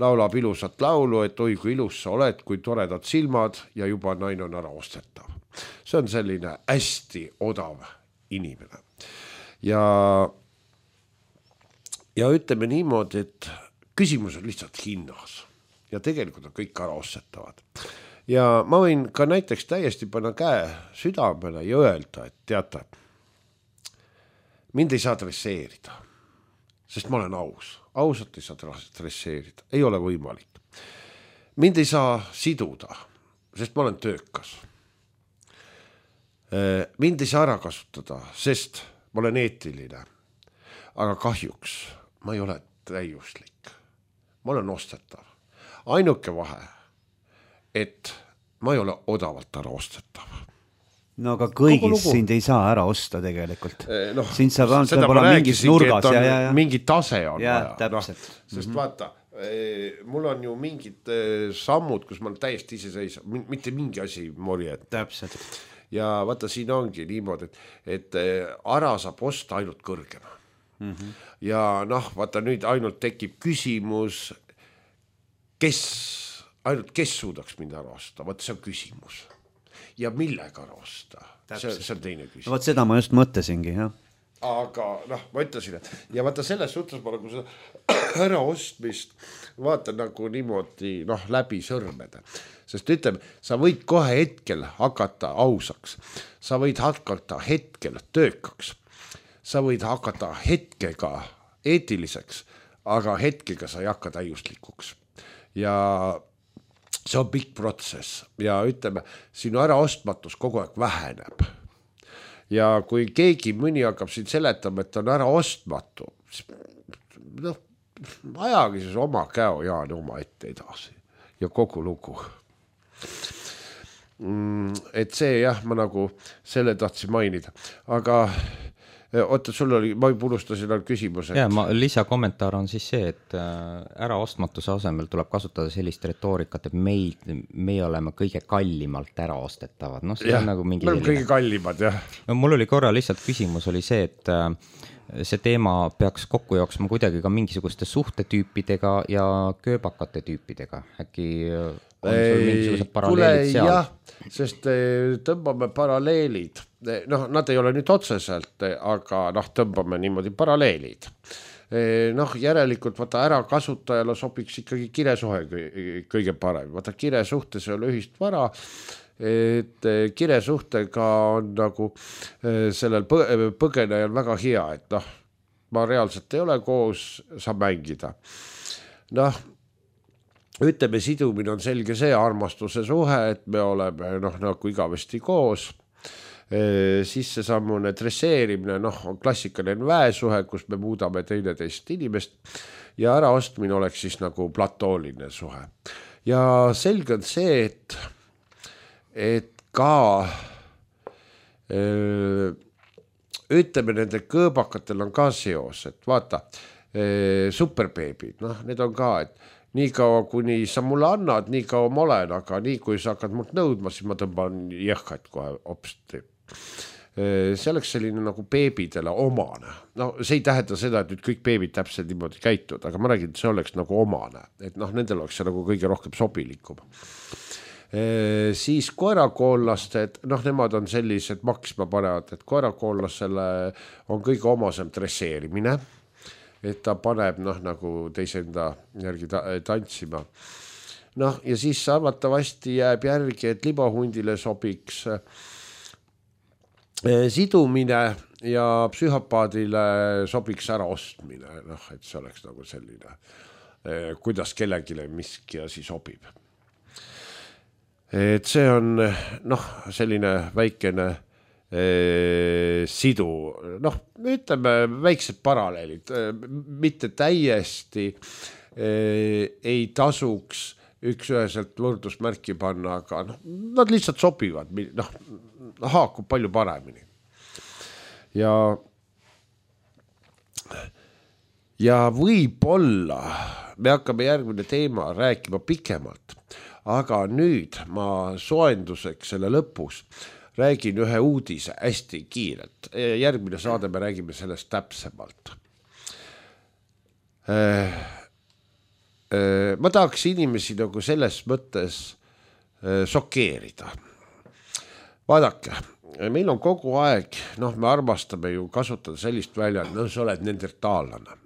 laulab ilusat laulu, et oi, kui ilus sa oled, kui toredad silmad ja juba naine on ära ostetav. See on selline hästi odav inimene. Ja Ja ütleme niimoodi, et küsimus on lihtsalt hinnas ja tegelikult on kõik ära ostetavad. Ja ma võin ka näiteks täiesti panna käe südamele ja öelda, et teate, mind ei saa dresseerida, sest ma olen aus. Ausalt ei saa dresseerida, ei ole võimalik. Mind ei saa siduda, sest ma olen töökas. Mind ei saa ära kasutada, sest ma olen eetiline, aga kahjuks ma ei ole täiuslik. Ma olen ostetav. Ainuke vahe, et ma ei ole odavalt ära ostetav. No aga kõigis sind ei saa ära osta tegelikult. No, sind saab võib-olla mingis nurgas. Ja, ja, ja. Mingi tase on ja, vaja. No, sest mm-hmm. vaata, mul on ju mingid sammud, kus ma olen täiesti iseseisev. Mitte mingi asi morjed. Täpselt. Ja vaata, siin ongi niimoodi, et, et ära saab osta ainult kõrgema. Mm-hmm. Ja noh, vaata nüüd ainult tekib küsimus, kes, ainult kes suudaks mind ära osta, vaata see on küsimus. Ja millega ära osta, see, see on teine küsimus. No, vaat seda ma just mõtlesingi, jah. Aga noh, ma ütlesin, et ja vaata selles suhtes ma nagu seda ära ostmist vaatan nagu niimoodi noh, läbi sõrmede. Sest ütleme, sa võid kohe hetkel hakata ausaks, sa võid hakata hetkel töökaks. Sa võid hakata hetkega eetiliseks, aga hetkega sa ei hakka täiuslikuks. Ja see on pikk protsess ja ütleme, sinu äraostmatus kogu aeg väheneb. Ja kui keegi mõni hakkab siin seletama, et on ära ostmatu, noh, ajagi siis oma käo Jaani oma ette edasi ja kogu lugu. Et see jah, ma nagu selle tahtsin mainida, aga oota, sul oli, ma unustasin ainult küsimus. Ja, ma, lisakommentaar on siis see, et ära ostmatuse asemel tuleb kasutada sellist retoorikat, et meid, me oleme kõige kallimalt ära ostetavad. No, see ja, on nagu mingi me oleme kõige kallimad, jah. No, mul oli korra lihtsalt küsimus oli see, et see teema peaks kokku jooksma kuidagi ka mingisuguste suhtetüüpidega ja kööbakate tüüpidega. Äkki on sul mingisugused paralleelid seal? Jah, sest tõmbame paralleelid. Noh, nad ei ole nüüd otseselt, aga noh, tõmbame niimoodi paralleelid. Noh, järelikult vaata ära kasutajale sobiks ikkagi kiresuhe kõige parem. Vaata kiresuhtes ei ole ühist vara, et kiresuhtega on nagu sellel põgenejal väga hea, et noh, ma reaalselt ei ole koos, saab mängida. Noh, ütleme, sidumine on selge see armastuse suhe, et me oleme noh, nagu igavesti koos. Siis see sammune dresseerimine, noh, on klassikaline väesuhe, kus me muudame teineteist inimest ja äraostmine oleks siis nagu platooline suhe. Ja selge on see, et, et ka öö, ütleme, nende kõõbakatel on ka seos, et vaata, öö, superbeebid, noh, need on ka, et nii kaua, kuni sa mulle annad, nii kaua ma olen, aga nii kui sa hakkad mult nõudma, siis ma tõmban jõhkaid kohe opsti. See oleks selline nagu beebidele omane. No see ei tähenda seda, et nüüd kõik beebid täpselt niimoodi käitud, aga ma räägin, et see oleks nagu omane, et noh, nendel oleks see nagu kõige rohkem sobilikum. Siis koerakoollased, noh, nemad on sellised maksma panevad, et koerakoollasele on kõige omasem dresseerimine, et ta paneb noh, nagu teise enda järgi ta tantsima. Noh, ja siis arvatavasti jääb järgi, et libahundile sobiks sidumine ja psühhopaadile sobiks ära ostmine, noh, et see oleks nagu selline, kuidas kellegile miski asi sobib. Et see on noh, selline väikene eh, sidu, noh, ütleme väiksed paralleelid, mitte täiesti eh, ei tasuks üks-üheselt võrdusmärki panna, aga noh, nad lihtsalt sobivad, noh, haakub palju paremini. Ja, ja võib-olla me hakkame järgmine teema rääkima pikemalt, aga nüüd ma soenduseks selle lõpus räägin ühe uudise hästi kiirelt. Järgmine saade me räägime sellest täpsemalt. Ma tahaks inimesi nagu selles mõttes šokeerida. Vaadake, meil on kogu aeg, noh, me armastame ju kasutada sellist välja, et no sa oled nendertaallane.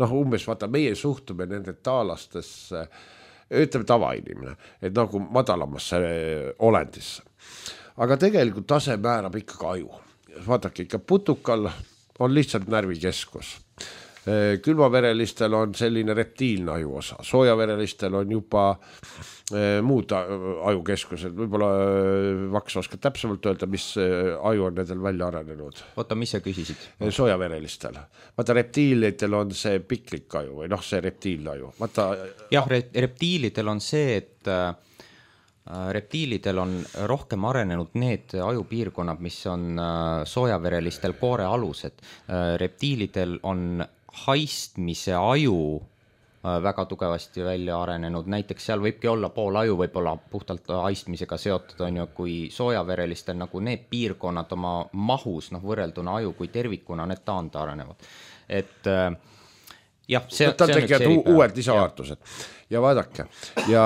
Noh, umbes vaata, meie suhtume nendertaallastesse, ütleme tavainimene, et nagu madalamasse olendisse. Aga tegelikult tase määrab ikkagi aju. Vaadake, ikka putukal on lihtsalt närvikeskus. Külmaverelistel on selline reptiilne aju osa, soojaverelistel on juba muud ajukeskused, võib-olla Vaks oskab täpsemalt öelda, mis aju on nendel välja arenenud. Oota, mis sa küsisid? Soojaverelistel. Vaata, reptiilitel on see piklik aju või noh, see reptiilne aju. Vaata... Jah, reptiilidel on see, et reptiilidel on rohkem arenenud need ajupiirkonnad, mis on soojaverelistel koore alused. Reptiilidel on haistmise aju väga tugevasti välja arenenud, näiteks seal võibki olla pool aju võib-olla puhtalt haistmisega seotud, on ju, kui soojaverelistel nagu need piirkonnad oma mahus, noh, võrrelduna aju kui tervikuna, need taanda arenevad. Et jah, see, ta see on üks eripäev. Uued lisaväärtused. Ja vaadake, ja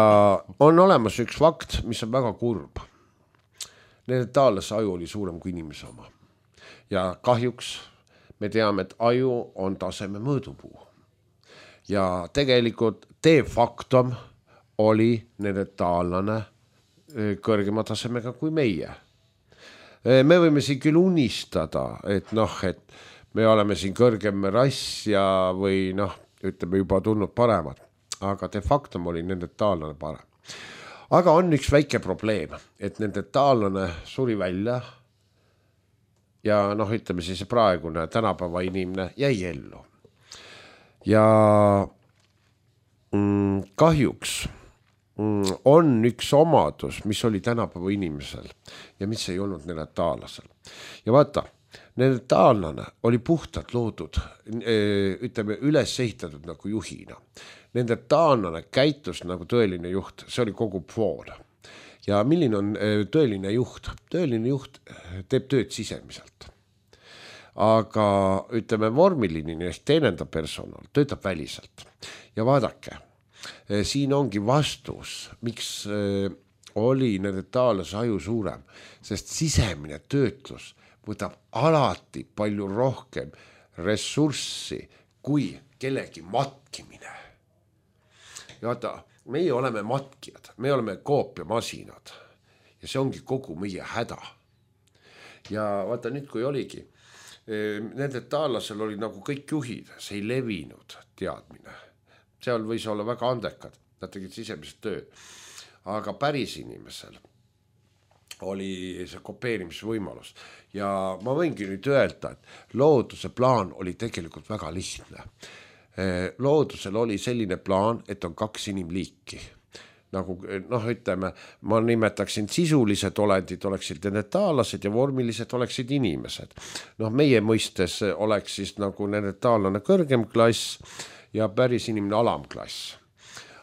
on olemas üks fakt, mis on väga kurb. Nende taallase aju oli suurem kui inimese oma. Ja kahjuks me teame, et aju on taseme mõõdupuu. Ja tegelikult de facto oli nende taallane kõrgema tasemega kui meie. Me võime siin küll unistada, et noh, et me oleme siin kõrgem rass ja või noh, ütleme juba tulnud paremad, aga de facto oli nende taallane parem. Aga on üks väike probleem, et nende taallane suri välja ja noh, ütleme siis praegune tänapäeva inimene jäi ellu. Ja mm, kahjuks mm, on üks omadus, mis oli tänapäeva inimesel ja mis ei olnud neandertaallasel. Ja vaata, neandertaallane oli puhtalt loodud, ütleme, üles ehitatud nagu juhina. Neandertaallane käitus nagu tõeline juht, see oli kogu pool. Ja milline on tõeline juht? Tõeline juht teeb tööd sisemiselt. Aga ütleme, vormiline ehk teenendav personal töötab väliselt. Ja vaadake, siin ongi vastus, miks oli neandertaallase aju suurem, sest sisemine töötlus võtab alati palju rohkem ressurssi kui kellegi matkimine. Ja vaata, meie oleme matkijad, me oleme koopiamasinad ja see ongi kogu meie häda. Ja vaata nüüd, kui oligi, nende taallasel oli nagu kõik juhid, see ei levinud teadmine. Seal võis olla väga andekad, nad tegid sisemist tööd. Aga päris inimesel oli see kopeerimisvõimalus. Ja ma võingi nüüd öelda, et looduse plaan oli tegelikult väga lihtne. Loodusel oli selline plaan, et on kaks inimliiki. Nagu, noh, ütleme, ma nimetaksin sisulised olendid oleksid neandertaallased ja vormilised oleksid inimesed. Noh, meie mõistes oleks siis nagu neandertaallane kõrgem klass ja päris inimene alamklass.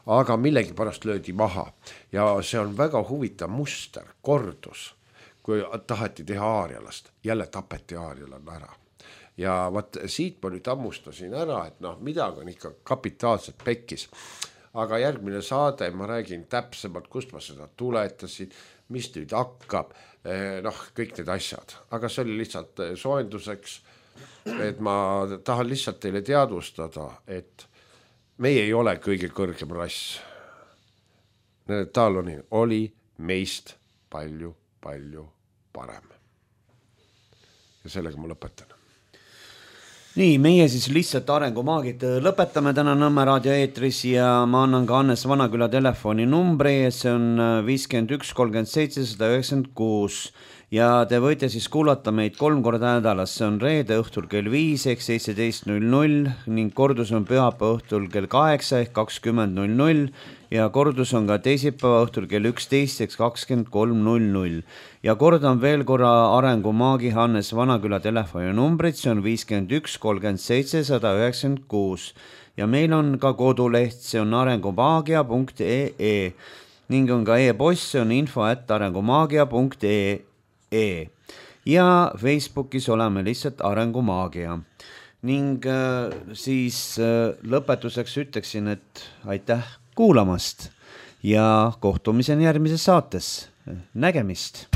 Aga millegi pärast löödi maha ja see on väga huvitav muster, kordus, kui taheti teha aarialast, jälle tapeti aarialan ära. Ja vaat siit ma nüüd ammustasin ära, et noh, midagi on ikka kapitaalselt pekkis. aga järgmine saade ma räägin täpsemalt, kust ma seda tuletasin, mis nüüd hakkab, noh, kõik need asjad, aga see oli lihtsalt soojenduseks, et ma tahan lihtsalt teile teadvustada, et meie ei ole kõige kõrgem rass. Taloni oli meist palju, palju parem. Ja sellega ma lõpetan. Nii, meie siis lihtsalt arengumaagid lõpetame täna Nõmme raadio eetris ja ma annan ka Hannes Vanaküla telefoni numbri, see on viiskümmend üks kolmkümmend seitse sada üheksakümmend kuus ja te võite siis kuulata meid kolm korda nädalas, see on reede õhtul kell viis ehk seitseteist null null ning kordus on pühapäeva õhtul kell kaheksa ehk kakskümmend null null ja kordus on ka teisipäeva õhtul kell üksteist ehk kakskümmend kolm null null. Ja kordan veel korra arengumaagi Hannes Vanaküla telefoni numbrit, see on viiskümmend üks kolmkümmend seitse sada üheksakümmend kuus ja meil on ka koduleht, see on arengumaagia punkt ee ning on ka e-post, see on info at arengumaagia punkt ee ja Facebookis oleme lihtsalt Arengumaagia ning äh, siis äh, lõpetuseks ütleksin, et aitäh kuulamast ja kohtumiseni järgmises saates. Nägemist!